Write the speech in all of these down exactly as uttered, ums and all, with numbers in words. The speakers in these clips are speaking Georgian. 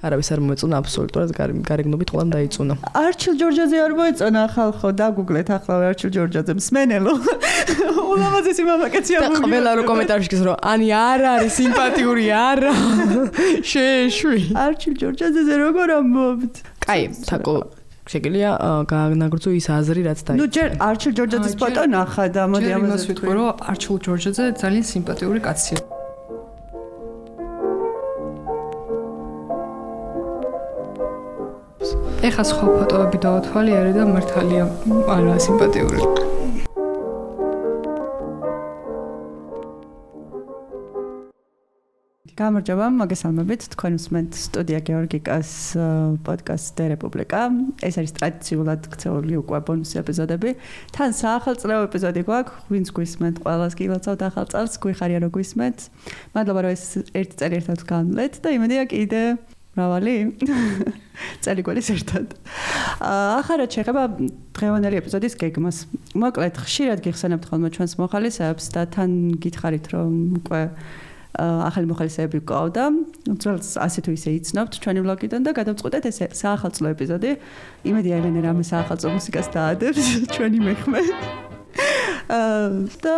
არავის არ მოეწონა აბსოლუტურად გარეგნობით ყველამ დაიწუნა. არჩილ ჯორჯაძე არ მოეწონა ხალხო, დაგუგლეთ ახლა არჩილ ჯორჯაძე მსმენელო. ულამაზესი მამაკაცი არ და ყველა რო კომენტარში გის რომ ანი არ არის სიმპათიური არა. შეეშვი. არჩილ ჯორჯაძეზე როგორ ამბობთ? კაი, თაკო შეგიძლია გააგნაგრძო ის აზრი რაც დაიწუნა. ნუ ჯერ არჩილ ჯორჯაძის ფოტო ნახა და მოდი ამაზე ვიტყვი რომ არჩილ ჯორჯაძე ძალიან სიმპათიური კაცია. ეხა სხვა ფოტოები დავათვალიერე და მართალია არა სიმპათიური. გამარჯობა, მოგესალმებით. თქვენ უსმენთ სტუდია გეორგიკას პოდკასტ დე რესპუბლიკა. ეს არის ტრადიციულად ქცეული უკვე ბონუსი ეპიზოდები. თან საახალწლეო ეპიზოდი გვაქვს. ვინც გვისმენთ, ყველას გილოცავთ ახალ წელს, გვიხარია რომ გვისმენთ. მადლობა რომ ეს ერთი წელი ერთად განვლეთ და იმედია კიდე მრავალი წელი გვერის ერთად. ახლა შეეხება დღევანდელი ეპიზოდის გეგმას. მოკლედ, ხშირად გიხსენებთ ხოლმე ჩვენს მოხალისეებს და თან გითხარით რომ უკვე ახალი მოხალისეები გვყავდა. ძველს ასე თუ ისე იცნობთ ჩვენი ბლოგიდან და გადავწყვეტეთ ეს საახალწლო ეპიზოდი. იმედია ელენე რამე საახალწლო მუსიკას დაადებს ჩვენი მეხმე. და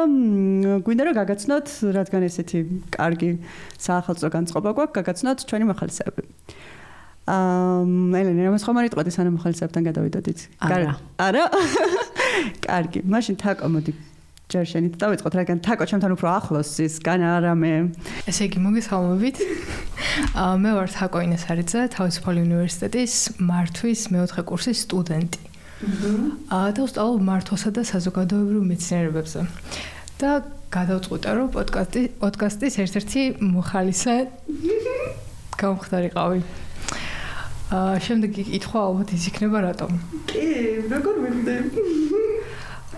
გვინდა რომ გაგაცნოთ, რადგან ესეთი კარგი საახალწლო განწყობა გვაქვს, გაგაცნოთ ჩვენი მოხალისეები. აა ელენე რამეს ხომ არ იტყოდი სანამ მოხალისეებთან გადავიდოდით? არა. არა? კარგი, მაშინ თაკო მოდი ჯერ შენით დავიწყოთ, რადგან თაკო ჩემთან უფრო ახლოს ის განა არამე. ესე იგი მოგესალმებით. აა მე ვარ თაკო ინესარიძე, თავისუფალი უნივერსიტეტის მართვის მეოთხე კურსის სტუდენტი. აა და ვსწავლობ მართვასა და საზოგადოებრივ მეცნიერებებზე. და გადავწყვიტე რომ პოდკასტი პოდკასტის ერთ-ერთი მოხალისე გამხდარიყავი. აა შემდეგ იკითხვა ალბათ ის იქნება რატომ. კი, როგორ ვიხდე?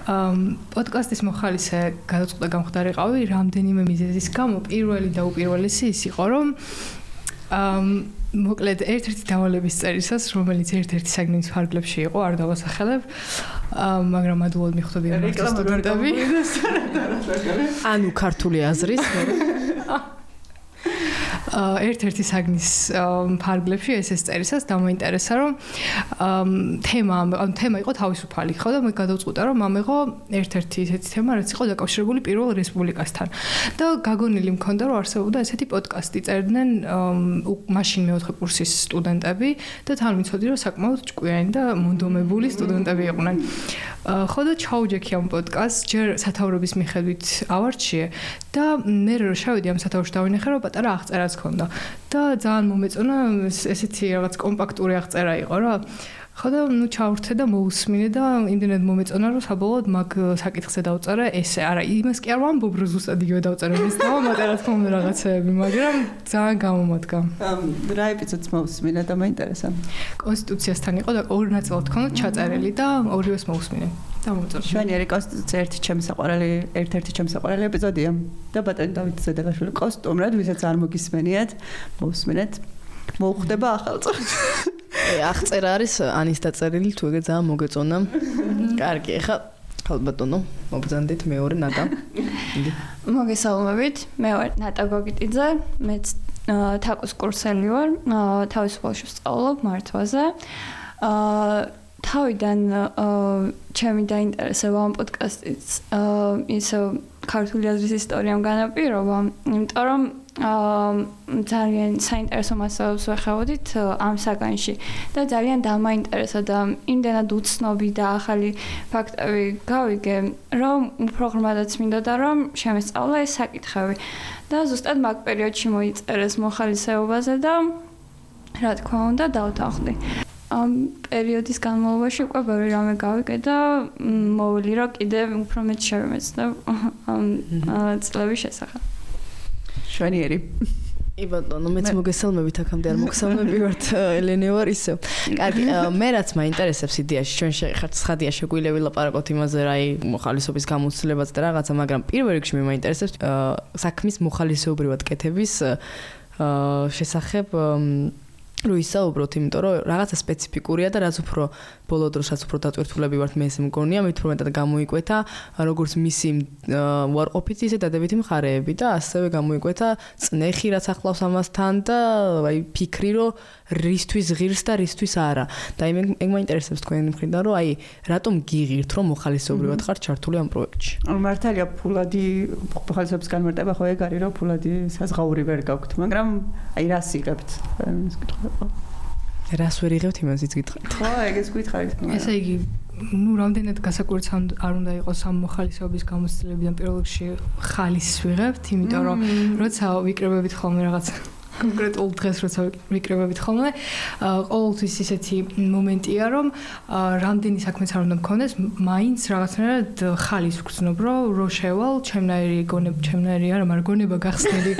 ამ პოდკასტის მოხალისე გადაწყვეტა გამხდარიყავი რამდენიმე მიზეზის გამო. პირველი და უპირველესი ის იყო რომ ამ მოკლედ ერთ-ერთი დავალების წერისას, რომელიც ერთ-ერთი საგნის ფარგლებში იყო, არ დავასახელებ, მაგრამ ადვილად მიხვდები ამ სტუდენტები. ანუ ქართული აზრის ერთ-ერთი საგნის ფარგლებში ეს ეს წერისას დამოინტერესა რომ თემა ანუ თემა იყო თავისუფალი ხო და მე გადავწყვიტე რომ ამეღო ერთ-ერთი ესეთი თემა რაც იყო დაკავშირებული პირველ რესპუბლიკასთან და გაგონილი მქონდა რომ არსებობდა ესეთი პოდკასტი წერდნენ მაშინ მეოთხე კურსის სტუდენტები და თან ვიცოდი რომ საკმაოდ ჭკვიანი და მონდომებული სტუდენტები იყვნენ ხო და ჩაუჯექი ამ პოდკასტს ჯერ სათაურების მიხედვით ავარჩიე და მე რო შევიდი ამ სათაურში დავინახე რომ პატარა აღწერაც ქონდა და ძალიან მომეწონა ესეთი რაღაც კომპაქტური აღწერა იყო რა ხო და ნუ ჩავრთე და მოусმინე და იმდენად მომეწონა რომ საბოლოოდ მაგ საკითხზე დავწერე ესე არა იმას კი არ ვამბობ რომ ზუსტად იგივე დავწერე ის დავამატე რა თქმა უნდა რაღაცეები მაგრამ ძალიან გამომადგა რა ეპიზოდს მოусმინე და მაინტერესა კონსტიტუციასთან იყო და ორი ნაწილად ქონდა ჩაწერილი და ორივეს მოусმინე შვენიერი კონსტიტუცია ერთი ჩემი საყვარელი ერთ-ერთი ჩემი საყვარელი ეპიზოდია და ბატონი დავით ზედელაშვილი კოსტუმრად ვისაც არ მოგისმენიათ მოусმინეთ მოუხდება ახალ წელს აღწერა არის ანის დაწერილი თუ ეგ ძალიან მოგეწონა კარგი ეხლა ხალბატონო მოგზანდით მეორე ნატა მოგესალმებით მე ვარ ნატა გოგიტიძე მეც თაკოს კურსელი ვარ თავისუფალში ვსწავლობ მართვაზე აა თავიდან ჩემი დაინტერესება ამ პოდკასტის ისე ქართული აზრის ისტორიამ განაპირობა, იმიტომ რომ ძალიან საინტერესო მასალებს ვეხებოდით ამ საგანში და ძალიან დამაინტერესა და იმდენად უცნობი და ახალი ფაქტები გავიგე, რომ უფრო ღრმადაც მინდოდა რომ შემესწავლა ეს საკითხები და ზუსტად მაგ პერიოდში მოიწერეს მოხალისეობაზე და რა თქმა უნდა დავთანხმდი. ამ პერიოდის განმავლობაში უკვე ბევრი რამე გავიგე და მოვილი რომ კიდე უფრო მეტ შევიმეცნებ ამ წლების შესახებ. შვენიერი. ი ბატონო, მეც მოგესალმებით აქამდე არ მოგესალმებივართ ელენე ვარ ისევ. კარგი, მე რაც მაინტერესებს იდეაში, ჩვენ შეხართ ცხადია შეგვიძლია ვილაპარაკოთ იმაზე, რა აი მოხალისობის გამოცდილებაც და რაღაცა, მაგრამ პირველ რიგში მე მაინტერესებს საქმის მოხალისეობრივად კეთების შესახებ რო ისაუბროთ, იმიტომ რომ რაღაცა სპეციფიკურია და რაც უფრო ბოლო დროსაც უფრო დატვირთულები ვართ მე ეს მგონია, მით უფრო მეტად გამოიკვეთა როგორც მისი უარყოფითი ისე დადებითი მხარეები და ასევე გამოიკვეთა წნეხი რაც ახლავს ამასთან და აი ფიქრი რომ რისთვის ღირს და რისთვის არა. და იმ ეგ მაინტერესებს თქვენი მხრიდან, რომ აი რატომ გიღირთ, რომ მოხალისეობრივად ხარ ჩართული ამ პროექტში. ანუ მართალია ფულადი მოხალისეობის განმარტება ხო ეგ არის, რომ ფულადი საზღაური ვერ გაქვთ, მაგრამ აი რას იღებთ? ეს კითხვა. რას ვერ იღებთ იმას იც გითხარით. ხო, ეგეც გითხარით. ესე იგი ну, რამდენად გასაკურც არ უნდა იყოს ამ მოხალისეობის გამოცდილებიდან პირველ რიგში ხალისს ვიღებთ, იმიტომ რომ როცა ვიკრებებით ხოლმე რაღაც კონკრეტულ დღეს როცა ვიკრებებით ხოლმე, ყოველთვის ისეთი მომენტია, რომ რამდენი საქმეც არ უნდა მქონდეს, მაინც რაღაცნაირად ხალის ვგრძნობ, რომ რო შევალ, ჩემნაირი გონება, ჩემნაირი არა, მაგრამ გონება გახსნილი.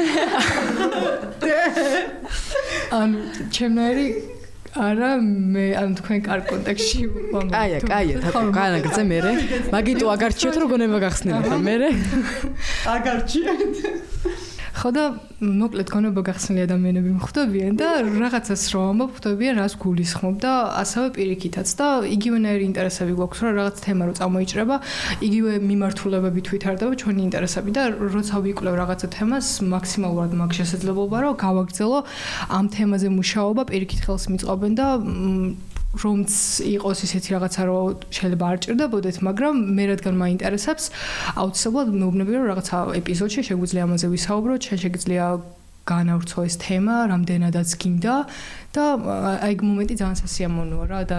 ანუ ჩემნაირი არა მე ან თქვენ კარგ კონტექსტში ვამბობ. აია, აია, თქო, განაგრძე მე. მაგიტო აგარჩიოთ რომ გონება გახსნილი ხარ მე. აგარჩიეთ. ხო და მოკლედ გონება გახსნილი ადამიანები მხვდებიან და რაღაცას რო ამბობ ხვდებიან რას გულისხმობ და ასევე პირიქითაც და იგივენაირი ინტერესები გვაქვს რომ რაღაც თემა რო წამოიჭრება იგივე მიმართულებებით ვითარდება ჩვენი ინტერესები და როცა ვიკვლევ რაღაცა თემას მაქსიმალურად მაქვს შესაძლებლობა რომ გავაგრძელო ამ თემაზე მუშაობა პირიქით ხელს მიწყობენ და რომც იყოს ისეთი რაღაცა რომ შეიძლება არ ჭირდებოდეთ, მაგრამ მე რადგან მაინტერესებს, აუცილებლად მეუბნები რომ რაღაცა ეპიზოდში შეგვიძლია ამაზე ვისაუბროთ, შეიძლება განავრცო ეს თემა, რამდენადაც გინდა და აი მომენტი ძალიან სასიამოვნოა რა და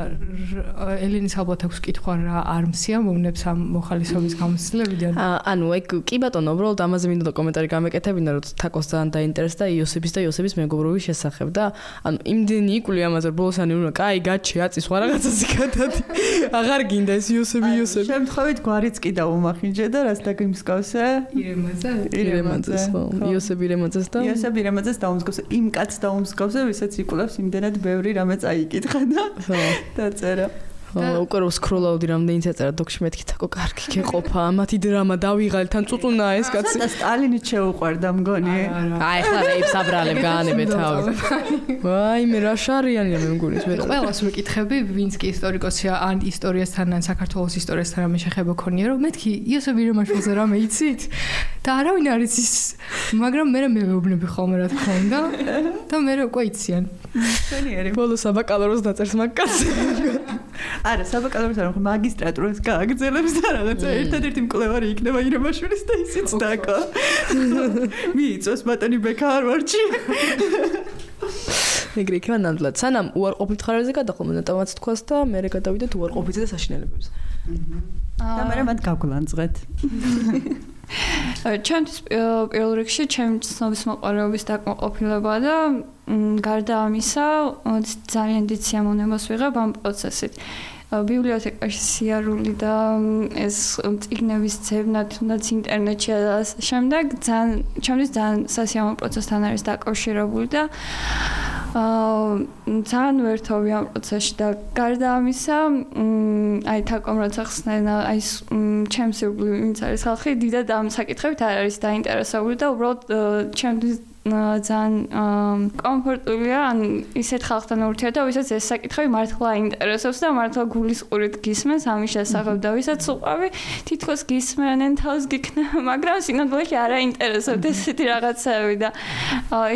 ელენის ალბათ აქვს კითხვა რა არ მსიამოვნებს ამ მოხალისეობის გამოცდილებიდან. ანუ ეგ კი ბატონო, უბრალოდ ამაზე მინდოდა კომენტარი გამეკეთებინა, რომ თაკოს ძალიან დაინტერესდა იოსების და იოსების მეგობრობის შესახებ და ანუ იმდენი იკვლიე ამაზე ბოლოს ani უნდა კაი გაჩი აწის სხვა რაღაცაზე გადადი. აღარ გინდა ეს იოსები იოსები. შემთხვევით გვარიც კი დაუმახინჯე და რას დაგიმსგავსე? ირემაძე? ირემაძეს ხო. იოსები ირემაძეს და იოსები ირემაძეს დაუმსგავსე. იმ კაცს დაუმსგავსე, ვისაც იკვლევს იმდენად ბევრი რამე წაიკითხა და დაწერა. უკვე რო სკროლავდი რამდენი წაწერა დოქში მეთქი თაკო კარგი გეყოფა ამათი დრამა დავიღალე თან წუწუნა ეს კაცი. და სტალინი შეუყვარდა მგონი. აი ხლა რეებს აბრალებ გაანებე თავი. ვაი მე რა შარიანია მე მგონის მე. ყველას ვეკითხები ვინც კი ისტორიკოსია ან ისტორიასთან ან საქართველოს ისტორიასთან რამე შეხება ქონია რომ მეთქი იოსებ ირემაშვილზე რამე იცით? და არავინ არ იცის, მაგრამ მე მე მეუბნები ხოლმე რა თქმა უნდა და მე უკვე იციან. შენიერი. ბოლოს აბაკალოროს დაწერს მაგკაცი. არა, საბაკალავრის არ მხოლოდ მაგისტრატურას გააგრძელებს და რაღაცა ერთადერთი მკვლევარი იქნება ირემაშვილის და ისიც დაკა. მიიწოს ბატონი ბექა ჰარვარდში. ეგრე იქნება ნამდვილად. სანამ უარყოფით ხარებზე გადახო მონატავაც თქვას და მე გადავიდეთ უარყოფითზე და საშინელებებზე. და მე მათ გავგლანძღეთ. ჩემთვის პირველ რიგში ჩემი ცნობის მოყარეობის დაკმაყოფილება და გარდა ამისა ძალიან დიდ სიამოვნებას ვიღებ ამ პროცესით. ბიბლიოთეკაში სიარული და ეს წიგნების ძებნა თუნდაც ინტერნეტში და ასე შემდეგ ძალიან ჩემთვის ძალიან სასიამოვნო პროცესთან არის დაკავშირებული და აა ძალიან ვერთოვი ამ პროცესში და გარდა ამისა აი თაკომ როცა ხსნა აი ჩემს ირგვლივ ვინც არის ხალხი დიდად ამ საკითხებით არ არის დაინტერესებული და უბრალოდ ჩემთვის ძალიან კომფორტულია ან ისეთ ხალხთან ურთიერთობა, ვისაც ეს საკითხები მართლა აინტერესებს და მართლა გულისყურით გისმენს ამის შესახებ და ვისაც უყვავი თითქოს გისმენენ თავს გიქნა, მაგრამ სინამდვილეში არ აინტერესებთ ესეთი რაღაცები და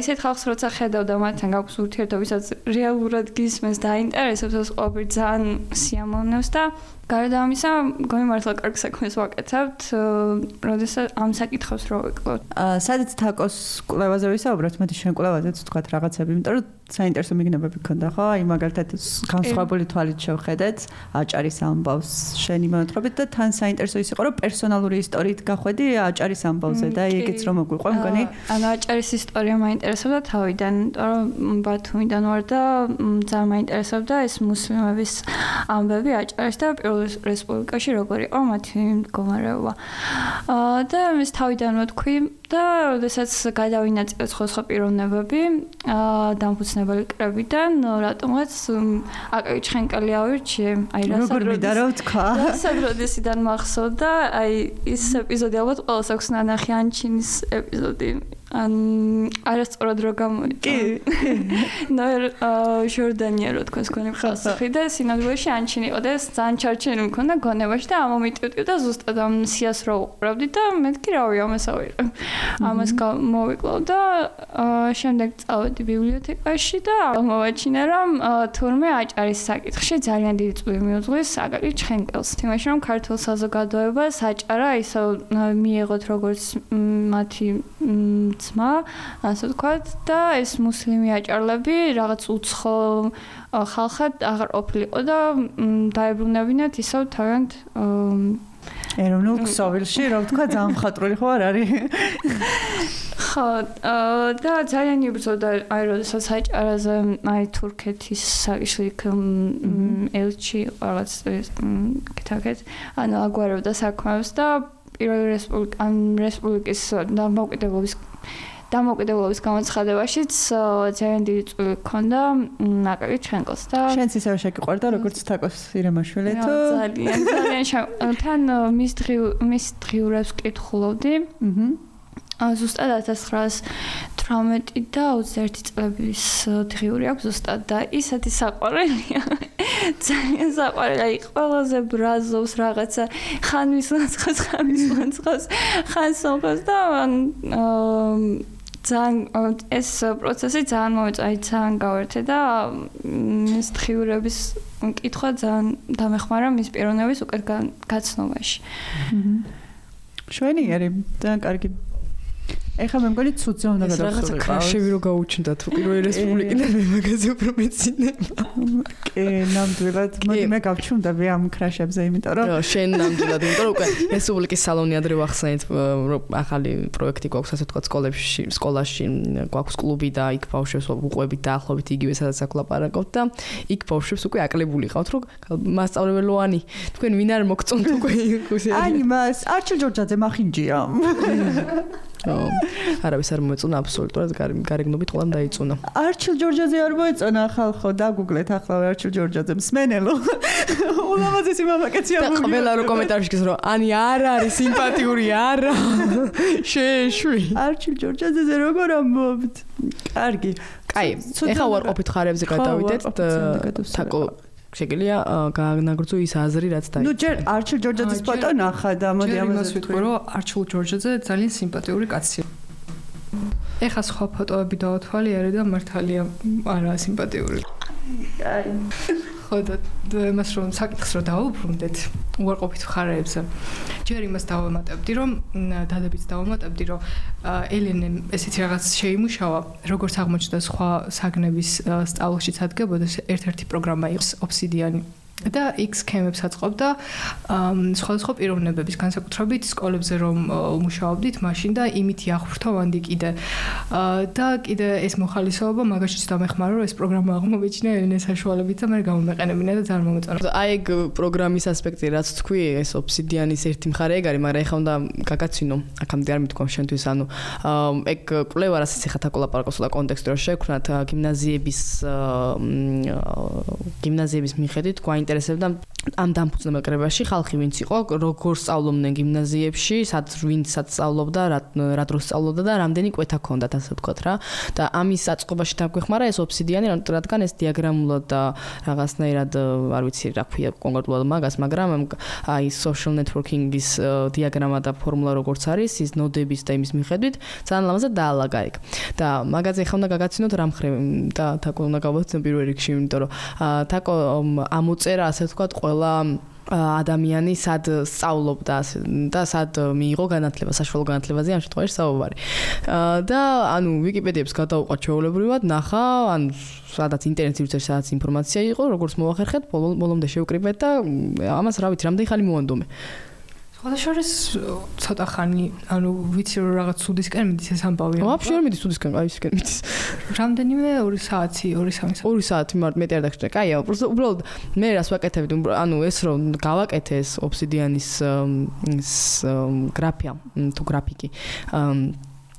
ისეთ ხალხს როცა ხედავ და მათთან გაქვს ურთიერთობა, ვისაც რეალურად გისმენს და აინტერესებს ეს ყოველთვის ძალიან სიამოვნებს და გარდა ამისა, მგონი მართლა კარგ საქმეს ვაკეთებთ, როდესაც ამ საკითხებს რო ვიკლოთ. სადაც თაკოს კვლევაზე ვისაუბროთ, მეტი შენ კვლევაზეც ვთქვათ რაღაცები, იმიტომ რომ საინტერესო მიგნებები გქონდა, ხო? აი მაგალითად განსხვავებული თვალით შევხედეთ აჭარის ამბავს შენი მონათხრობით და თან საინტერესო ის იყო, რომ პერსონალური ისტორიით გახვედი აჭარის ამბავზე და ეგეც რომ მოგვიყვე, მგონი. ანუ აჭარის ისტორია მაინტერესებდა თავიდან, იმიტომ რომ ბათუმიდან ვარ და ძალიან მაინტერესებდა ეს მუსლიმების ამბები აჭარის და რესპუბლიკაში როგორ იყო მათი მდგომარეობა. აა და ეს თავიდან ვთქვი და როდესაც გადავინაწილე სხვა პიროვნებები აა დამფუძნებელი კრებიდან, რატომაც აკაკი ჩხენკელი ავირჩიე. აი როგორ მიდა რა ვთქვა? როდესიდან მახსოვდა, აი ის ეპიზოდი ალბათ ყველას აქვს ნანახი ანჩინის ეპიზოდი. ან არასწორად რო გამოვიდა. ნოერ ჟორდანია რო თქვენს გონებ ხალხი და სინამდვილეში ანჩინიყო და ძალიან ჩარჩენი მქონდა გონებაში და ამომიტივტივ და ზუსტად ამ სიას რო უყურავდი და მეთქი რავი ამას ავიღე. ამას მოვიკლავ და შემდეგ წავედი ბიბლიოთეკაში და მოვაჩინე რომ თურმე აჭარის საკითხში ძალიან დიდი წვლილი მიუძღვის აკაკი ჩხენკელს. თუმცა რომ ქართულ საზოგადოებას აჭარა ისევ მიიღოთ როგორც მათი ძმა, ასე ვთქვათ და ეს მუსლიმი აჭარლები რაღაც უცხო ხალხად აღარ ყოფილიყო და დაებრუნებინათ ისევ თავიანთ ეროვნულ ქსოვილში, რა ვთქვა, ძალიან მხატვრული ხო არ არის? ხო, და ძალიან იბრძოდა აი როდესაც აჭარაზე აი თურქეთის საგიშლიქ ელჩი რაღაც კეთაკეთ, ანუ აგვარებდა საქმეებს და პირველი რესპუბლიკა ან რესპუბლიკის დამოუკიდებლობის დამოუკიდებლობის გამოცხადებაშიც ძალიან დიდი წვლილი ჰქონდა აკაკი ჩხენკელს და შენც ისევ შეგიყვარდა როგორც თაკოს ირემაშვილი თუ ძალიან ძალიან თან მის დღიურ მის დღიურებს კითხულობდი. აჰა ზუსტად ათას ცხრაას თვრამეტი და ოცდაერთი წლების დღიური აქვს ზუსტად და ისეთი საყვარელია. ძალიან საყვარელი, აი ყველაზე ბრაზობს რაღაცა ხან მისლანცხოს, ხან მისლანცხოს, ხან სომხოს და ძალიან ეს პროცესი ძალიან მომეწონა, აი ძალიან გავერთე და მის დღიურების კითხვა ძალიან დამეხმარა მის პიროვნების უკეთ გაცნობაში. შვენიერი, ძალიან კარგი. ეხლა მე მგონი ცუძე უნდა გადავხსოვიყავ. რაღაცა კრაშები რო გაუჩნდა თუ პირველი რესპუბლიკიდან მე მაგაზე უფრო მეცინება. კი, ნამდვილად. მოდი მე გავჩვენდები ამ კრაშებზე, იმიტომ რომ რა, შენ ნამდვილად, იმიტომ რომ უკვე რესპუბლიკის სალონი ადრე ვახსენეთ, ახალი პროექტი გვაქვს, ასე ვთქვათ, სკოლებში, სკოლაში გვაქვს კლუბი და იქ ბავშვებს უყვებით და ახლობით იგივე სადაც აკლაპარაკობთ და იქ ბავშვებს უკვე აკლებული ყავთ, რომ მასწავლებელოანი, თქვენ ვინ არ მოგწონთ უკვე იქ. აი, მას არჩილ ჯორჯაძე მახინჯია. არავის არ მოეწონა აბსოლუტურად გარეგნობით ყველამ დაიწუნა. არჩილ ჯორჯაძე არ მოეწონა ხალხო, დაგუგლეთ ახლა არჩილ ჯორჯაძე მსმენელო. ულამაზესი მამაკაცი ამბობ. და ყველა რო კომენტარში გის რომ ანი არ არის სიმპათიური არა. შეშვი. არჩილ ჯორჯაძეზე როგორ ამბობთ? კარგი. კაი, ეხლა უარყოფით ხარებზე გადავიდეთ. თაკო შეგიძლია განაგრძო ის აზრი რაც დაიწყო. ნუ ჯერ არჩილ ჯორჯაძის ფოტო ნახა და მოდი ამას ვიტყვი რომ არჩილ ჯორჯაძე ძალიან სიმპათიური კაცია. ეხლა სხვა ფოტოები დავათვალიერე და მართალია არა სიმპათიური. კაი. ხო და იმას რომ საკითხს რომ დავუბრუნდეთ უარყოფით ხარებზე. ჯერ იმას დავამატებდი რომ დადებიც დავამატებდი რომ ელენემ ესეთი რაღაც შეიმუშავა როგორც აღმოჩნდა სხვა საგნების სწავლაშიც ადგებოდა ერთ-ერთი პროგრამა იყო ოფსიდიანი და X სქემებს აწყობდა სხვადასხვა პიროვნებების განსაკუთრებით სკოლებზე რომ მუშაობდით მაშინ და იმით იახვრთოვანდი კიდე და კიდე ეს მოხალისეობა მაგაშიც დამეხმარა რომ ეს პროგრამა აღმოვეჩინა ელენეს საშუალებით და მე გამომეყენებინა და ძალიან მომეწონა. აი ეგ პროგრამის ასპექტი რაც თქვი ეს ოფსიდიანის ერთი მხარე ეგ არის მაგრამ ეხლა უნდა გაგაცინო აქამდე არ მithქვამ შენთვის ანუ ეგ კვლევა რასაც ეხლა თაკოლაპარაკოს და კონტექსტი რომ შევქნათ გიმნაზიების გიმნაზიების მიხედვით გვაინტერესებს ინტერესებდა ამ დამფუძნებელ კრებაში ხალხი ვინც იყო, როგორ სწავლობდნენ გიმნაზიებში, სად ვინცაც სწავლობდა, რა დროს სწავლობდა და რამდენი კვეთა ჰქონდათ, ასე ვთქვათ რა. და ამის აწყობაში დაგვეხმარა ეს ოფსიდიანი, რადგან ეს დიაგრამულად და რაღაცნაირად არ ვიცი რა ქვია კონკრეტულად მაგას, მაგრამ აი social networking-ის დიაგრამა და ფორმულა როგორც არის, ის ნოდების და იმის მიხედვით ძალიან ლამაზად დაალაგა იქ. და მაგაზე ხა უნდა გაგაცინოთ რა მხრივ და თაკო უნდა გავაცნო პირველ რიგში, იმიტომ რომ თაკო ამოწერა ასე ვთქვათ ყველა ადამიანი სად სწავლობდა და სად მიიღო განათლება, საშუალო განათლებაზე ამ შემთხვევაში საუბარი. და ანუ ვიკიპედიებს გადავუყვა ჩვეულებრივად, ნახა, ან სადაც ინტერნეტში ვიწერე, სადაც ინფორმაცია იყო, როგორც მოვახერხეთ, ბოლომდე შევკრიბეთ და ამას რა ვიცი, რამდენი ხანი მოვანდომე. ხოდაშორის ცოტა ხანი, ანუ ვიცი რომ რაღაც სუდისკენ მიდის ეს ამბავი. ვაფშე არ მიდის სუდისკენ, აი ისკენ მიდის. რამდენიმე ორი საათი, ორი სამი საათი. ორი საათი მარტო მეტი არ დაგჭირდა. კაია, უბრალოდ მე რას ვაკეთებდი, ანუ ეს რომ გავაკეთე ეს ოფსიდიანის ის გრაფია, თუ გრაფიკი.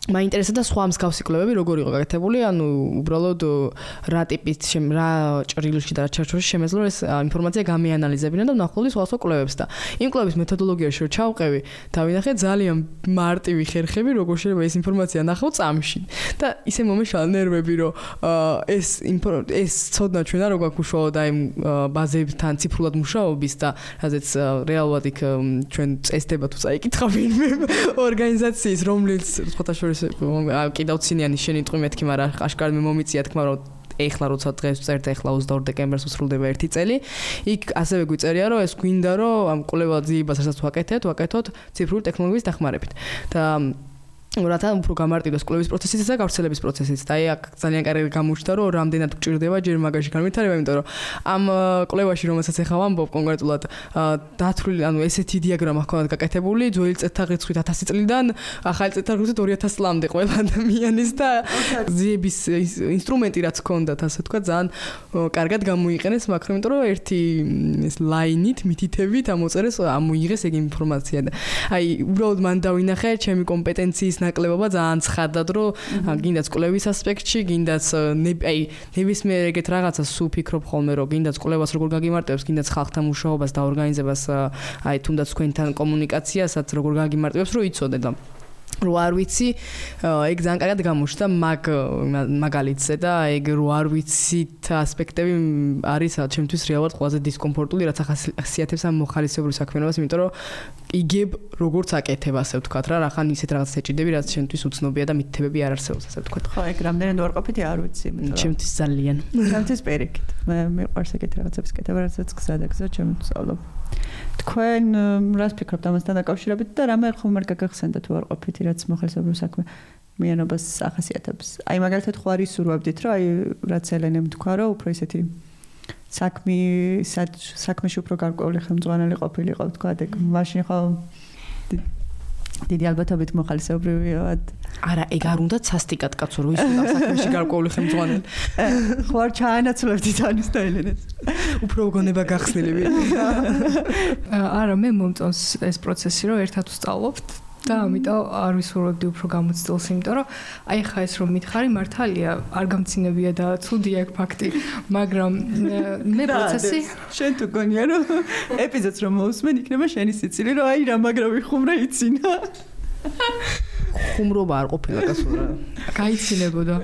მაინტერესებდა სხვა მსგავსი კვლევები როგორ იყო გაკეთებული, ანუ უბრალოდ რა ტიპის რა ჭრილში და რა ჩარჩოში შემეძლო ეს ინფორმაცია გამიანალიზებინა და ვნახულდი სხვა სხვა კვლევებს და იმ კვლევის მეთოდოლოგიაში რომ ჩავყევი, დავინახე ძალიან მარტივი ხერხები, როგორ შეიძლება ეს ინფორმაცია ნახავ წამში და ისე მომეშალა ნერვები, რომ ეს ეს ცოდნა ჩვენ არ გვაქვს უშუალოდ აი ბაზებთან ციფრულად მუშაობის და რაზეც რეალურად იქ ჩვენ წესდება თუ წაიკითხა ვინმე ორგანიზაციის რომლის სხვათა შორის კიდევ ცინიანი შენი ტყვი მეთქი, მაგრამ აშკარად მე მომიწია თქმა რომ ეხლა როცა დღეს წერთ ეხლა ოცდაორ დეკემბერს უსრულდება ერთი წელი. იქ ასევე გვიწერია რომ ეს გვინდა რომ ამ კვლევა ძიებას რასაც ვაკეთეთ, ვაკეთოთ ციფრული ტექნოლოგიის დახმარებით. და რათა უფრო გამარტივდეს კვლევის პროცესიც და გავრცელების პროცესიც. და აი აქ ძალიან კარგი გამოჩნდა რომ რამდენად გჭირდება ჯერ მაგაში განვითარება, იმიტომ რომ ამ კვლევაში რომელსაც ახლა ვამბობ კონკრეტულად დათვლილი, ანუ ესეთი დიაგრამა ჰქონდათ გაკეთებული ძველი წელთაღრიცხვით ათასი წლიდან ახალი წელთაღრიცხვით ორი ათასი წლამდე ყველა ადამიანის და ძიების ინსტრუმენტი რაც ჰქონდათ, ასე თქვა, ძალიან კარგად გამოიყენეს, მაგრამ იმიტომ რომ ერთი ეს ლაინით, მითითებით ამოწერეს, ამოიღეს ეგ ინფორმაცია და აი უბრალოდ მან დავინახე ჩემი კომპეტენციის ნაკლებობა ძალიან ცხადად, რომ გინდაც კვლევის ასპექტში, გინდაც აი ნებისმიერ ეგეთ რაღაცას ვფიქრობ ხოლმე, რომ გინდაც კვლევას როგორ გაგიმარტებს, გინდაც ხალხთან მუშაობას და ორგანიზებას, აი თუნდაც თქვენთან კომუნიკაციასაც როგორ გაგიმარტებს, რომ იცოდე და რო არ ვიცი, ეგ ძალიან კარგად გამოჩნდა მაგ მაგალითზე და ეგ რო არ ვიცით ასპექტები არის ჩემთვის რეალურად ყველაზე დისკომფორტული, რაც ახასიათებს ამ მოხალისეებრივ საქმიანობას, იმიტომ რომ იგებ როგორც აკეთებ, ასე ვთქვათ რა, რახან ისეთ რაღაცას ეჭიდები, რაც ჩემთვის უცნობია და მითითებები არ არსებობს, ასე ვთქვათ. ხო, ეგ რამდენად უარყოფითი არ ვიცი, იმიტომ რომ ჩემთვის ძალიან. ჩემთვის პირიქით. მე მიყვარს ეგეთ რაღაცების კეთება, რასაც გზა და გზა ჩემ ვსწავლობ. თქვენ რას ფიქრობთ ამასთან დაკავშირებით და რამე ხომ არ გაგახსენდათ უარყოფითი, რაც მოხალისეებრივ საქმიანობას ახასიათებს? აი მაგალითად ხო არ ისურვებდით, რომ აი რაც ელენემ თქვა, რომ უფრო ისეთი საქმე საქმეში უფრო გარკვეული ხელმძღვანელი ყოფილიყო, თქვა, ეგ მაშინ ხო დიდი ალბათობით მოხალისეობრივად. არა, ეგ არ უნდა სასტიკად კაცო, რომ ის უნდა საქმეში გარკვეული ხელმძღვანელი. ხო არ ჩაანაცვლებდით ანის და ელენეს. უფრო გონება გახსნილები. არა, მე მომწონს ეს პროცესი, რომ ერთად ვსწავლობთ. და ამიტომ არ ვისურვებდი უფრო გამოცდილს, იმიტომ რომ აი ხა ეს რომ მითხარი მართალია, არ გამცინებია და ცუდი აქ ფაქტი, მაგრამ მე პროცესი შენ თუ გონია რომ ეპიზოდს რომ მოусმენ იქნება შენი სიცილი, რომ აი რა მაგრა ვიხუმრე ცინა. ხუმრობა არ ყოფილა კაცო რა. გაიცინებოდა.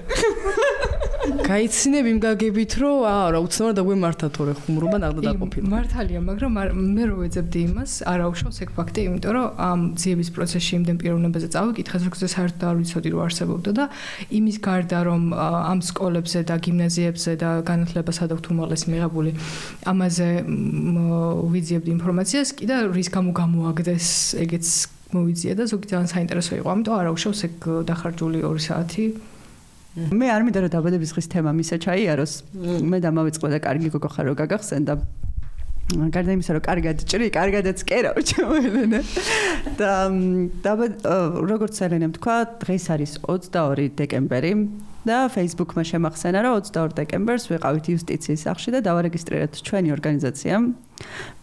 გაიცინებ იმ გაგებით, რომ არა, უცნაურად დაგვემართა თორე ხუმრობა ნახდა დაყოფილა. მართალია, მაგრამ მე რო ვეძებდი იმას, არ აუშავს ეგ ფაქტი, იმიტომ რომ ამ ძიების პროცესში იმდენ პიროვნებაზე წავიკითხეთ, რომ საერთოდ არ ვიცოდი რომ არსებობდა და იმის გარდა რომ ამ სკოლებზე და გიმნაზიებზე და განათლება სადავთ უმაღლესი მიღებული, ამაზე ვიძიებდი ინფორმაციას, კიდე რის გამო გამოაგდეს ეგეც მოვიძია და ზოგი ძალიან საინტერესო იყო, ამიტომ არ აუშავს ეგ დახარჯული ორი საათი. მე არ მინდა რომ დაბადების დღის თემა მისე ჩაიაროს. მე და მავიწყდა და კარგი გოგო ხარ რომ გაგახსენდა. გარდა იმისა რომ კარგად ჭრი, კარგადაც კერავ ჩემელენე. და დაბად როგორც ელენემ თქვა, დღეს არის ოცდაორი დეკემბერი და Facebook-მა შემახსენა რომ ოცდაორ დეკემბერს ვიყავით იუსტიციის სახლში და დავარეგისტრირეთ ჩვენი ორგანიზაცია.